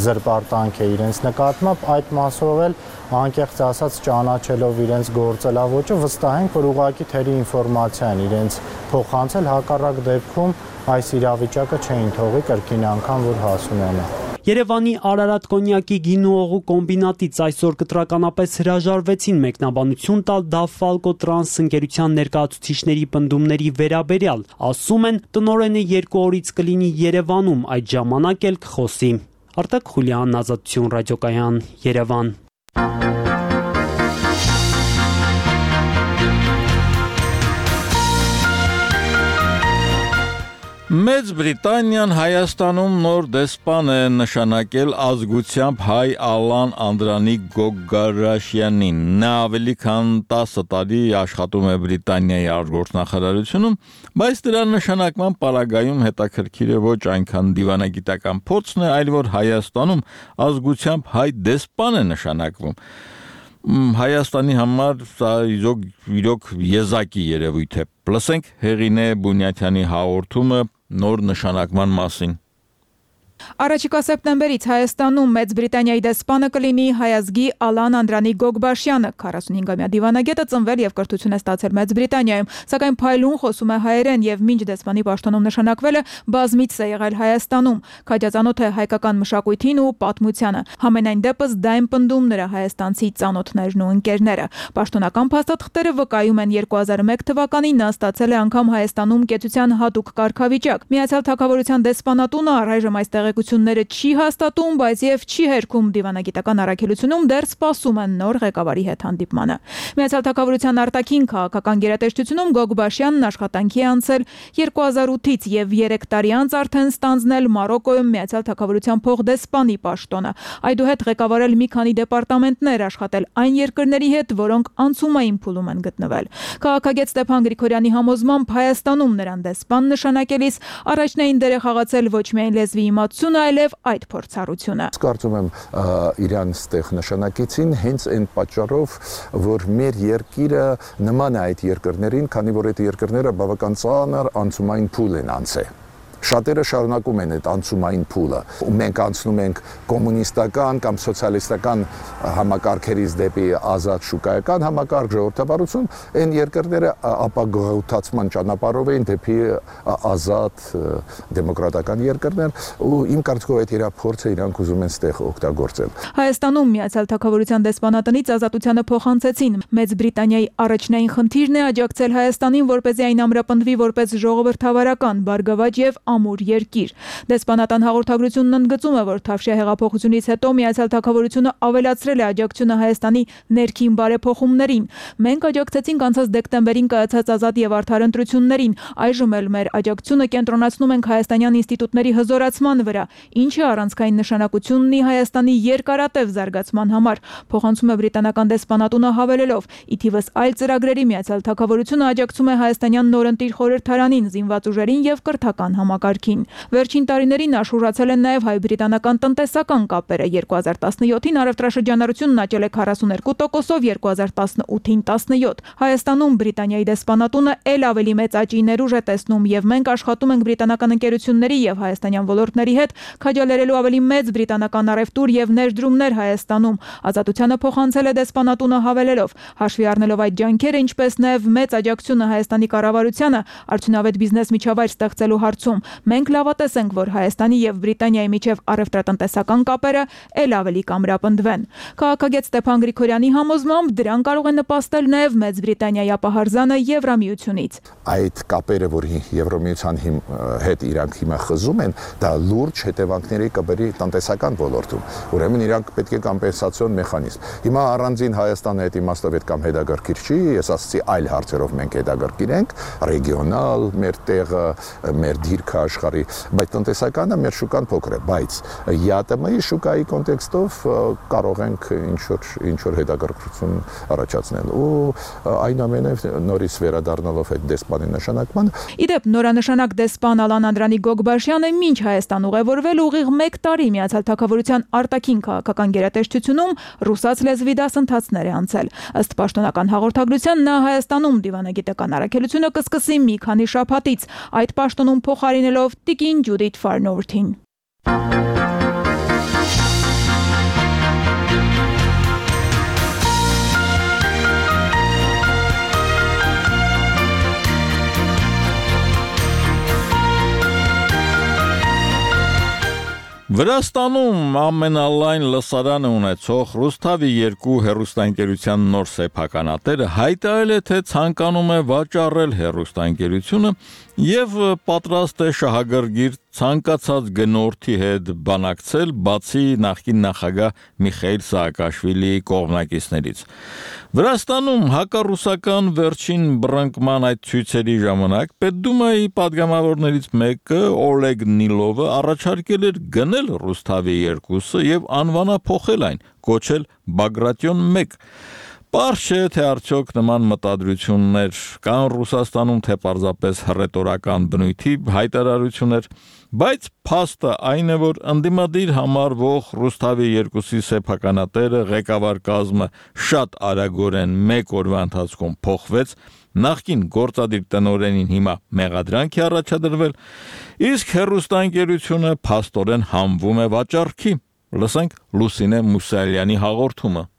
զրպարտանք է իրենց նկատմամբ, այդ մասով էլ անկեղծ ասած ճանաչելով իրենց գործելավոճը վստահ ենք, որ ուղղակի թերի ինֆորմացիա են իրենց փոխանցել, հակառակ դեպքում այս իրավիճակը չէին թողի կրկին անգամ որ հասունանա։ Երևանի Արարատ կոնյակի գինու օղու կոմբինատից այսօր կտրականապես հրաժարվեցին մեկնաբանություն տալ Դավֆալկո տրանս ընկերության ներկայացուցիչների պնդումների վերաբերյալ։ Ասում են, տնօրենը երկու օրից կլինի Երևանում, այդ ժամանակ էլ կխոսի։ Արտակ Խուլյան, Ազատություն ռադիոկայան, Երևան։ Մեծ Բրիտանիան Հայաստանում նոր դեսպան է նշանակել ազգությամբ հայ Ալան Անդրանիկ Գոգարաշյանին։ Նա ավելի քան տասը տարի աշխատում է Բրիտանիայի արտգործնախարարությունում, բայց դրա նշանակման պարագայում հետաքրքիր է ոչ այնքան դիվանագիտական փորձն է, այլ որ Հայաստանում ազգությամբ հայ դեսպան է նշանակվում։ Հայաստանի համար սա իրոք եզակի երևույթ է։ Լսենք Հեղինե Բունյաթյանի հաղորդումը նոր նշանակման մասին։ Առաջիկա սեպտեմբերից Հայաստանում Մեծ Բրիտանիայի դեսպանը կլինի հայազգի Ալան Անդրանիկ Գոգբաշյանը, քառասունհինգամյա դիվանագետը ծնվել եւ կրթություն է ստացել Մեծ Բրիտանիայում, սակայն փայլուն խոսում է հայերեն եւ մինչ դեսպանի պաշտոնում նշանակվելը բազմիցս է եղել Հայաստանում, քաջածանոթ է հայկական մշակույթին ու պատմությանը։ Համենայն դեպս դա են պնդում նրա հայաստանցի ծանոթներն ու ընկերները։ Պաշտոնական փաստաթղթերը վկայում են երկու հազար ու մեկ թվականին նա ստացել է անգամ Հայաստանում կեցության հատուկ կարգավիճակ։ Միացյալ Թագավորության դեսպանատունը առայժմ այս տեղեկությունները չի հաստատում, բայց եւ չի հերքում դիվանագիտական առաքելությունում դեռ սպասում են նոր ղեկավարի հետ հանդիպմանը։ Միացյալ Թագավորության արտաքին քաղաքական գերատեսչությունում Գոգբաշյանն աշխատանքի է անցել երկու հազար ութից եւ երեք տարի անց արդեն ստանձնել Մարոկոյում Միացյալ Թագավորության փոխդեսպանի պաշտոնը։ Այդուհետ ղեկավարել մի քանի դեպարտամենտներ, աշխատել այն երկրների հետ, որոնք անցումային փուլում են գտնվել։ Քաղաքագետ Ստեփան Գրիգորյանի համոզմամբ Հայաստանում նրան դեսպան նշանակելիս առաջնային դեր է խաղացել ոչ միայն լեզվի իմացությունը, այլև այդ փորձառությունը։ Կարծում եմ իրան ստեղ նշանակեցին հենց այն պատճառով, որ մեր երկիրը նման է այդ երկրներին, քանի որ այդ երկրները բավական ծանր անցումային փուլ են անցել։ Շատերը շարունակում են այդ անցումային փուլը։ Մենք անցնում ենք կոմունիստական կամ սոցիալիստական համակարգերից դեպի ազատ շուկայական համակարգ, ժողովրդավարություն, այն երկրները ապագաղութացման ճանապարհով են դեպի ազատ դեմոկրատական երկրներ, ու իմ կարծիքով այդ իր փորձը իրանք ուզում են ստեղ օգտագործել։ Հայաստանում Միացյալ Թագավորության դեսպանատնից ազատությանը փոխանցեցին։ Մեծ Բրիտանիայի առաջնային խնդիրն է աջակցել Հայաստանին, որպեսզի այն ամրապնդվի որպես ժողովրդավարական, բարգավաճ եւ ամուր երկիր։ Դեսպանատան հաղորդագրությունն ընդգծում է, որ Թավշյա հեղափոխությունից հետո Միացյալ Թագավորությունը ավելացրել է աջակցությունը Հայաստանի ներքին բարեփոխումներին։ Մենք աջակցեցինք անցած դեկտեմբերին կայացած ազատ եւ արդար ընտրություններին, այժմ էլ մեր աջակցությունը կենտրոնացնում ենք հայաստանյան ինստիտուտների հզորացման վրա, ինչը առանցքային նշանակություն ունի Հայաստանի երկարատև զարգացման համար, փոխանցում է բրիտանական դեսպանատունը հավելելով. ի թիվս այլ ծրագրերի Միացյալ Թագավորությունը աջակցում է հայաստանյան նորընտիր խորհրդարանին, զինված ուժերին եւ կրթական համակարգին։ Վերջին տարիներին աշուրացել են նաև հայ-բրիտանական տնտեսական կապերը։ երկու հազար տասնյոթին առևտրաշրջանառությունն աճել է քառասուներկու տոկոսով, երկու հազար տասնութին տասնյոթ։ Հայաստանում Բրիտանիայի դեսպանատունը ել ավելի մեծ աճի ներուժ է տեսնում եւ մենք աշխատում ենք բրիտանական ընկերությունների եւ հայաստանյան ոլորտների հետ քաջալերելու ավելի մեծ բրիտանական առևտուր եւ ներդրումներ Հայաստանում։ Ազատությանը փոխանցել է դեսպանատունը հավելելով. հաշվի առնելով այդ ջանքերը, ինչպես նաեւ մեծ աջակցությունը Հայաստանի կառավարությանը արդյունավետ բիզնես միջավայր ստեղծելու հարցում, մենք լավատես ենք, որ Հայաստանի եւ Բրիտանիայի միջև առևտրատնտեսական կապերը ել ավելի կամրապնդվեն։ Քաղաքագետ Ստեփան Գրիգորյանի համոզմամբ դրան կարող է նպաստել նաեւ Մեծ Բրիտանիայի ապահարզանը Եվրամիությունից։ Այդ կապերը, որ Եվրամիության հետ իրանք հիմա խզում են, դա լուրջ հետևանքների կբերի տնտեսական ոլորտում։ Ուրեմն իրանք պետք է կոմպենսացիոն մեխանիզմ։ Հիմա առանձին Հայաստանը այդ իմաստով կամ հետագարկիր չի, ես ասացի այլ հարցերով մենք հետագարկիրենք, ռեգիոնալ, մեր տեղը, մեր դիրքը աշխարհի, բայց տնտեսականը մեր շուկան փոքր է, բայց ԵԱՏՄ-ի շուկայի կոնտեքստով կարող ենք ինչ-որ ինչ-որ հետագարկություն առաջացնել ու այնուամենայնիվ նորից վերադառնալով այդ դեսպանի նշանակման։ Իդեպ նորանշանակ դեսպան Ալան Անդրանի Գոգբաշյանը մինչ Հայաստան ուղևորվել ուղիղ մեկ տարի Միացյալ Թագավորության արտաքին քաղաքական գերատեսչությունում ռուսաց լեզվի դասընթացներ է անցել։ Ըստ պաշտոնական հաղորդագրության նա Հայաստանում դիվանագիտական առաքելությունը կսկսի մի քանի շաբաթից, այդ պաշտոնում փոխարինելով տիկին Ջուդիթ Ֆարնովրթին։ Վրաստանում ամենալայն լսարանը ունեցող Ռուսթավի երկու հեռուստաընկերության նոր սեփականատերը հայտարարել է, թե ցանկանում է վաճառել հեռուստաընկերությունը եւ պատրաստ է շահագրգիռ ցանկացած գնորդի հետ բանակցել, բացի նախկին նախագահ Միխայիլ Սաակաշվիլիի կողմնակիցներից։ Վրաստանում հակառուսական վերջին բռնկման այդ ցույցերի ժամանակ Պետդումայի падգամավորներից մեկը Օլեգ Նիլովը առաջարկել էր գնել Ռուսթավի երկուսը եւ անվանափոխել այն, կոչել Բագրատիոն մեկ։ Պարզ չէ, թե արդյոք նման մտադրություններ կան Ռուսաստանում, թե պարզապես հռետորական բնույթի հայտարարություններ, բայց փաստը այն է, որ ընդդիմադիր համարվող Ռուսթավի երկուսի սեփականատերը ղեկավար կազմը շատ արագորեն մեկ օրվա ընթացքում փոխվեց, նախկին գործադիր տնօրենին հիմա մեղադրանք է առաջադրվել, իսկ հեռուստաընկերությունը փաստորեն համվում է վաճառքի։ Լսենք Լուսինե Մուսալյանի հաղորդումը։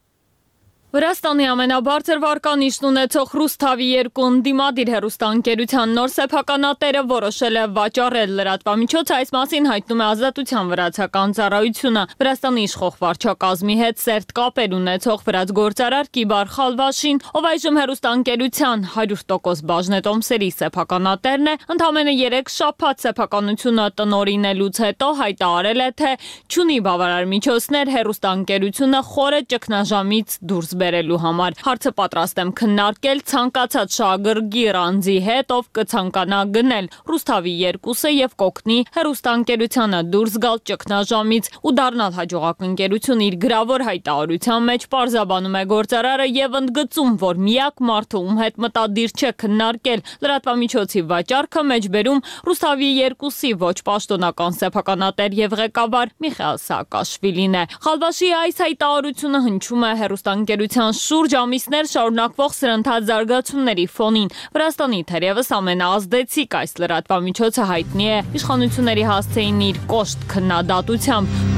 Վրաստանի ամենաբարձր վարկանիշն ունեցող Ռուսթավի երկու ընդդիմադիր հեռուստաընկերության նոր սեփականատերը որոշել է վաճառել լրատվամիջոցը, այս մասին հայտնում է Ազատության վրացական ծառայությունը։ Վրաստանի իշխող վարչակազմի հետ սերտ կապեր ունեցող վրաց գործարար Կիբար Խալվաշին, ով այժմ հեռուստաընկերության հարյուր տոկոս բաժնետոմսերի սեփականատերն է, ընդամենը երեք շաբաթ սեփականությունը տնօրինելուց հետո հայտարարել է, թե չունի բավարար միջոցներ հեռուստաընկերությունը խորը ճգնաժամից դուրս բերելու համար։ Հարցը պատրաստ եմ քննարկել ցանկացած շահագրգիռ անձի հետ, ով կցանկանա գնել Ռուսթավի երկուսը եւ կօգնի հեռուստաընկերությանը դուրս գալ ճգնաժամից ու դառնալ հաջողակ ընկերություն իր գրավոր հայտարարության մեջ պարզաբանում է գործարարը եւ ընդգծում, որ միակ մարդը, ում հետ մտադիր չէ քննարկել լրատվամիջոցի վաճառքը, մեջբերում Ռուսթավի երկուսի ոչ պաշտոնական սեփականատեր եւ ղեկավար Միխայիլ Սաակաշվիլին է։ Խալվաշի այս հայտարարությունը հնչում է հեռուստաընկերության շուրջ ամիսներ շարունակվող սրընթաց զարգացումների ֆոնին։ Վրաստանի թերևս ամենաազդեցիկ այս լրատվամիջոցը հայտնի է իշխանությունների հասցեին իր կոշտ քննադատությամբ։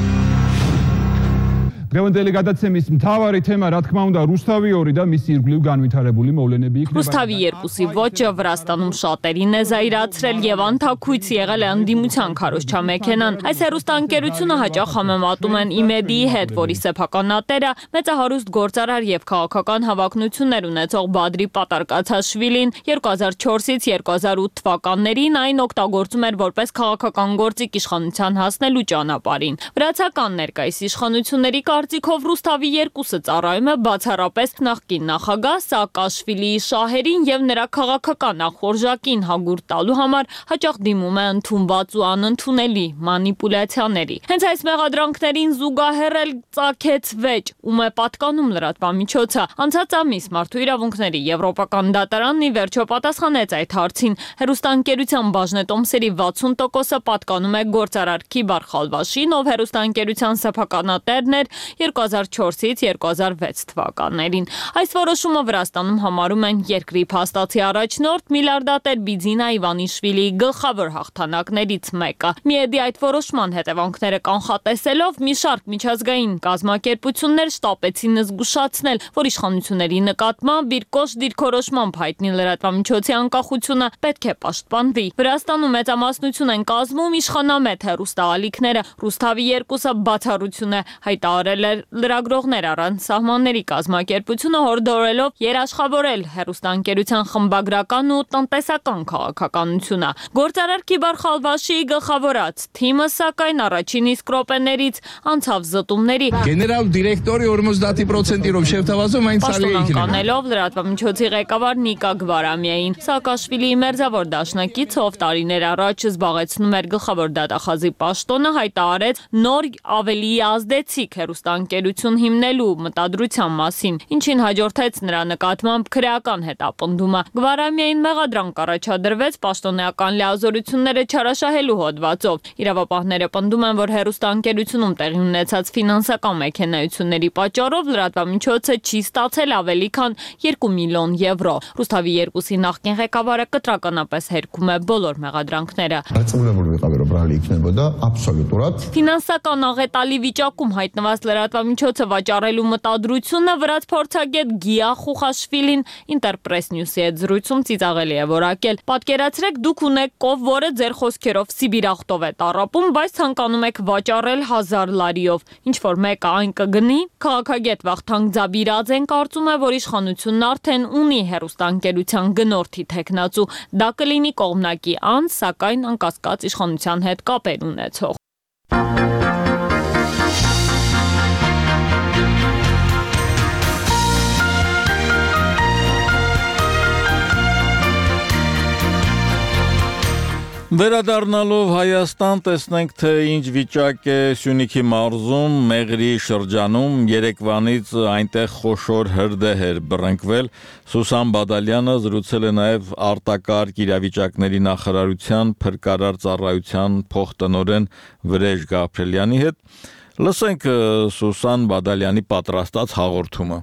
Დღევანდელი გადაცემის მთავარი თემა, რა თქმა უნდა, რუსთავი და მისი ირგვლივ განვითარებული მოვლენები იქნება. Ռուսթավի երկուսի ոճը Վրաստանում շատերին է զայրացրել եւ անթաքույց եղել է ընդդիմության քարոզչամեքենան։ Այս հեռուստաընկերությունը հաճախ համեմատում են ԻՄԵԴ-ի հետ, որի սեփականատերը մեծահարուստ գործարար եւ քաղաքական հավակնություններ ունեցող Բադրի Պատարկացաշվիլին երկու հազար չորսից երկու հազար ութ թվականներին այն օգտագործում էր որպես քաղաքական գործիք իշխանության հասնելու ճանապարհին։ Վրացական ներկայիս իշխանությունների Կարծիքով Ռուսթավի երկուսը ծառայում է բացառապես նախկին նախագահ Սաակաշվիլիի շահերին եւ նրա քաղաքական ախորժակին հագուր տալու համար հաճախ դիմում է ընդունված ու անընդունելի մանիպուլյացիաների։ Հենց այս մեղադրանքներին զուգահեռ էլ ծագեց վեճ, ում է պատկանում լրատվամիջոցը։ Անցած ամիս Մարդու իրավունքների Եվրոպական դատարանն ի վերջո պատասխանեց այդ հարցին։ Հեռուստաընկերության բաժնետոմսերի վաթսուն տոկոսը պատկանում է գործարար Կիբար Խալվաշին, ով հեռուստաընկերության սեփականատերն էր երկու հազար չորսից երկու հազար վեց թվականներին։ Այս որոշումը Վրաստանում համարում են երկրի փաստացի առաջնորդ միլիարդատեր Բիձինա Իվանիշվիլիի գլխավոր հաղթանակներից մեկը։ Միեդի այդ որոշման հետևանքները կանխատեսելով մի շարք միջազգային կազմակերպություններ շտապեցին զգուշացնել, որ իշխանությունների նկատմամբ իր կոշտ դիրքորոշմամբ հայտնի լրատվամիջոցի անկախությունը պետք է պաշտպանվի։ Վրաստանում մեծամասնություն են կազմում իշխանամետ հեռուստաալիքները։ Ռուսթավի երկուսը բացառություն է, հայտարարել է լրագրողներ առանց սահմանների կազմակերպությունը, հորդորելով երաշխավորել հեռուստաընկերության խմբագրական ու տնտեսական քաղաքականությունը։ Գործարար Քիբար Խալվաշիի գլխավորած թիմը սակայն առաջին իսկ րոպեներից անցավ զտումների։ Գեներալ դիրեկտորի ուրմուզդատի պրոցենտիրով շեֆթավազում այն ցալի է կանելով լրատվամիջոցի ղեկավար Նիկա Գվարամիային։ Սաակաշվիլիի մերձավոր դաշնակից ով տարիներ առաջ զբաղեցնում էր գլխավոր դատախազի պաշտոնը, հայտարարեց նոր ավելի ազդեցիկ հեռուստաընկերություն հիմնելու մտադրության մասին, ինչին հաջորդեց նրա նկատմամբ քրեական հետապնդումը։ Գվարամիային մեղադրանք առաջադրվեց պաշտոնեական լիազորությունները չարաշահելու հոդվածով։ Իրավապահները պնդում են, որ հեռուստաընկերությունում տեղի ունեցած ֆինանսական մեքենայությունների պատճառով լրատվամիջոցը չի ստացել ավելի քան երկու միլիոն եվրո։ Ռուսթավի երկուսի նախկին ղեկավարը կտրականապես հերքում է բոլոր մեղադրանքները։ Ֆինանսական աղետալի վիճակում հայտնված լրատվամիջոցը վաճառելու մտադրությունը վրաց փորձագետ Գիա Խուխաշվիլին Interpress News-ի հետ զրույցում ծիծաղելի է որակել։ Պատկերացրեք, դուք ունեք կով, որը ձեր խոսքերով Սիբիրախտով է տառապում, բայց ցանկանում եք վաճառել հազար լարիով։ Ինչ որ մեկը այն կգնի։ Քաղաքագետ Վախթանգ Ձաբիրաձեն կարծում է, որ իշխանությունն արդեն ունի հեռուստաընկերության գնորդի թեկնածու։ Դա կլինի կողմնակի անձ, սակայն անկասկած իշխանության հետ կապեր ունեցող։ Վերադառնալով Հայաստան, տեսնենք, թե ինչ վիճակ է Սյունիքի մարզում, Մեղրի շրջանում, Երևանից այնտեղ խոշոր հրդեհ էր բռնկվել։ Սուսան Բադալյանը զրուցել է նաև արտակարգ իրավիճակների նախարարության փրկարար ծառայության փոխտնօրեն Վրեժ Գաբրելյանի հետ։ Լսենք Սուսան Բադալյանի պատրաստած հաղորդումը։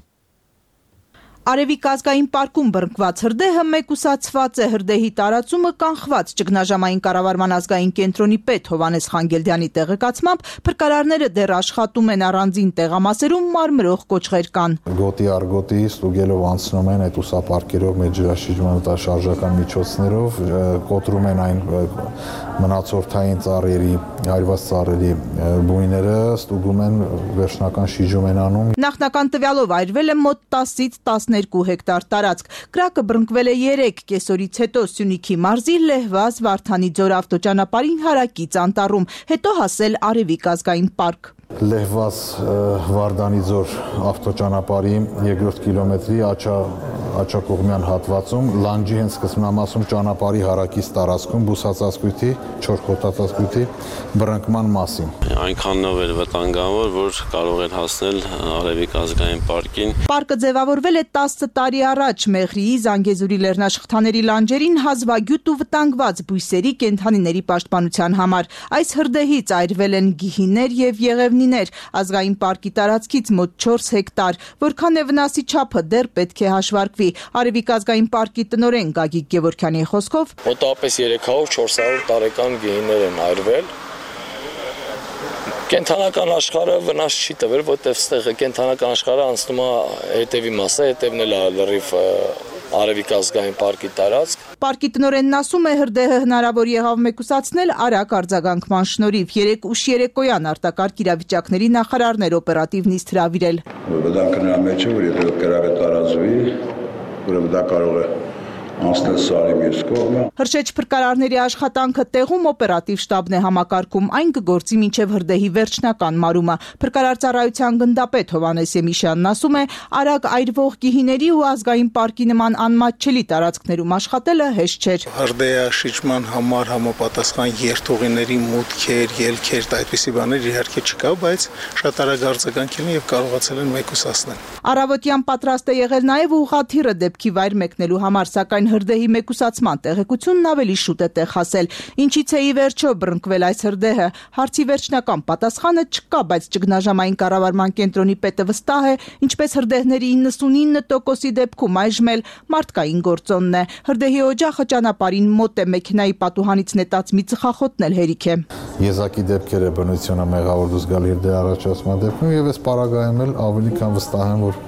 Արևիկ ազգային պարկում բռնկված հրդեհը մեկուսացված է, հրդեհի տարածումը կանխված։ Ճգնաժամային կառավարման ազգային կենտրոնի պետ Հովանես Խանգելդյանի տեղեկացմամբ փրկարարները դեռ աշխատում են առանձին տեղամասերում, մարմրող կոճղեր կան։ Գոտի առ գոտի ստուգելով անցնում են այդ ուսապարկերով, մեր ջրաշիջման շարժական միջոցներով, կոտրում են այն մնացորդային ծառերի, այրված ծառերի բույները, ստուգում են, վերջնական շիջում են անում։ Նախնական տվյալով այրվել է մոտ տասից տասներկու հեկտար տարածք։ Կրակը բռնկվել է երեք կեսօրից հետո Սյունիքի մարզի Լեհվազ Վարդանի ձոր ավտոճանապարհին հարակից անտառում, հետո հասել Արևիկ ազգային պարկ։ Լեհվազ Վարդանի ձոր ավտոճանապարհի երկրորդ կիլոմետրի աչակողմյան հատվածում լանջի հենց սկզբնամասում ճանապարհի հարակից տարածքում բուսածածկույթի, չոր խոտածածկույթի բռնկման մասին։ Այնքանով էր վտանգավոր, որ կարող էր հասնել Արևիկ ազգային պարկին։ Պարկը ձևավորվել է տասը տարի առաջ Մեղրիի, Զանգեզուրի լեռնաշխտաների լանջերին հազվագյուտ ու վտանգված բույսերի, կենդանիների պաշտպանության համար։ Այս հրդեհից այրվել են գիհիներ եւ եղևնիներ, ազգային պարկի տարածքից մոտ չորս հեկտար, որքան է վնասի չափը դեռ պետք է հաշվարկվի։ Արևիկ ազգային պարկի տնօրեն Գագիկ Գևորգյանի խոսքով մոտավորապես երեք հարյուր չորս հարյուր տարեկան գիհիներ են այրվել։ Կենթանական աշխարհը վնաս չի տվել, որտեղ ստեղ կենթանական աշխարհը անցնում է հետևի մասը, հետևն էլ է լրիվ Արևիկ ազգային պարկի տարածք։ Պարկի տնօրենն ասում է, հրդեհը հնարավոր եղավ մեկուսացնել արագ արձագանքման շնորհիվ։ Երեք ուշ երեկոյան արտակարգ իրավիճակների նախարարներ օպերատիվ նիստ հրավիրել։ Վտանգը նրա մեջ է, որ եթե կրակը տարածվի, ուրեմն դա կարող է անցնել սարի մյուս կողմը։ Հրշեջ փրկարարների աշխատանքը տեղում օպերատիվ շտաբն է համակարգում, այն կգործի մինչև հրդեհի վերջնական մարումը։ Փրկարար ծառայության գնդապետ Հովանես Եմիշյանն ասում է, արագ այրվող գիհիների ու ազգային պարկի նման անմատչելի տարածքներում աշխատելը հեշտ չէր։ Հրդեհաշիջման համար համապատասխան երթուղիների մուտքեր, ելքեր, այդպիսի բաներ իհարկե չկա, բայց շատ արագ արձագանքել են եւ կարողացել են մեկուսացնել։ Առավոտյան պատրաստ է եղել նաեւ ուղղաթիռը դեպքի վայր մեկնելու համար, սակայն սակայն հրդեհի մեկուսացման տեղեկությունն ավելի շուտ է տեղ հասել։ Ինչից է ի վերջո բռնկվել այս հրդեհը։ Հարցի վերջնական պատասխանը չկա, բայց ճգնաժամային կառավարման կենտրոնի պետը վստահ է, ինչպես հրդեհների իննսունինը տոկոսի դեպքում այժմ էլ մարդկային գործոնն է։ Հրդեհի օջախը ճանապարհին մոտ է, մեքենայի պատուհանից նետած մի ծխախոտն էլ հերիք է։ Եզակի դեպքեր է բնությունը մեղավոր դուսգալի հրդեհի առաջացման դեպքում եւ այս պարագայում էլ ավելի քան վստահ եմ, որ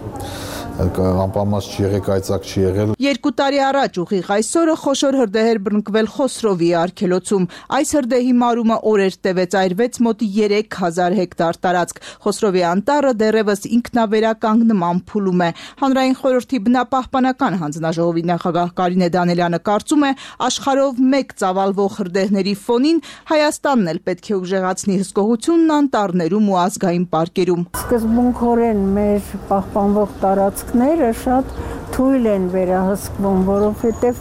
անպամած չի եղել, կայծակ չի եղել։ Երկու տարի առաջ ուղիղ այսօրը խոշոր հրդեհեր բռնկվել Խոսրովի արգելոցում։ Այս հրդեհի մարումը օրեր տևեց, այրվեց մոտ երեք հազար հեկտար տարածք։ Խոսրովի անտառը դեռևս ինքնավերականգնման փուլում է։ Հանրային խորհրդի բնապահպանական հանձնաժողովի նախագահ Կարինե Դանելյանը կարծում է, աշխարհով մեկ ծավալվող հրդեհների ֆոնին Հայաստանն էլ պետք է ուժեղացնի հսկողությունն անտառներում ու ազգային պարկերում։ Սկզբունքորեն մեր պահպանվող տարածքները շատ թույլ են վերահսկվում, որովհետև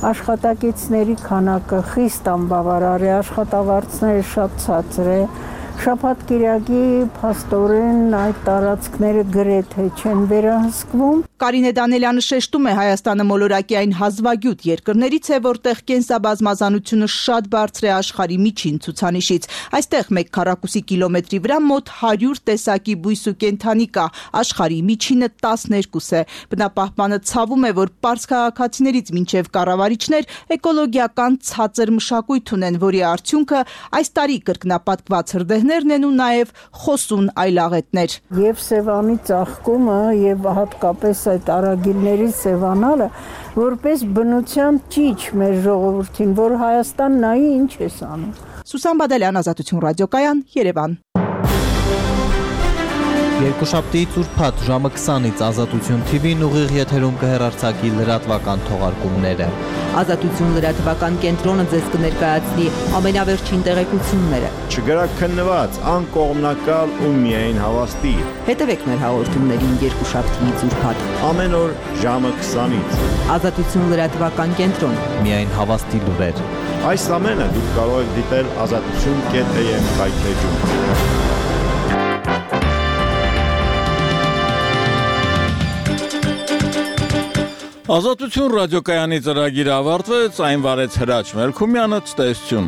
աշխատակիցների քանակը խիստ անբավարար է, աշխատավարձները շատ ցածր է, շաբաթ-կիրակի փաստորեն այդ տարածքները գրեթե չեն վերահսկվում։ Կարինե Դանելյանը շեշտում է, Հայաստանը մոլորակի այն հազվագյուտ երկրներից է, որտեղ կենսաբազմազանությունը շատ բարձր է աշխարհի միջին ցուցանիշից։ Այստեղ մեկ քառակուսի կիլոմետրի վրա մոտ հարյուր տեսակի բույս ու կենդանի կա, աշխարհի միջինը տասներկու է։ Բնապահպանը ցավում է, որ պարզ քաղաքացիներից մինչև կառավարիչներ էկոլոգիական ցածր մշակույթ ունեն, որի արդյունքը այս տարի կրկնապատկված հրդեհներն են ու նաև խոսուն այլաղետներ։ Եվ Սևանի ծաղկումը եւ հատկապես այդ արագիլների սևանալը որպես բնության ճիչ մեր ժողովրդին, որ Հայաստան նայի ինչ է անում։ Սուսան Բադալյան, Ազատություն ռադիոկայան, Երևան։ Երկուշաբթի ծուրփաթ ժամը քսանից Ազատություն Թի Վին ուղիղ եթերում կհեռարձակի լրատվական թողարկումները։ Ազատություն լրատվական կենտրոնը ձեզ կներկայացնի ամենավերջին տեղեկությունները։ Չգրակ քննված, անկողմնակալ ու միայն հավաստի։ Հետևեք մեր հաղորդումներին երկուշաբթիից ուրբաթ ամեն օր ժամը քսանից։ Ազատություն լրատվական կենտրոն, միայն հավաստի լուրեր։ Այս ամենը դուք կարող եք դիտել ազատություն կետ էմ հայթեջում։ Ազատություն ռադիոկայանի ծրագիրը ավարտվեց, այն վարեց Հրաչ Մելքումյանը, ցտեսություն։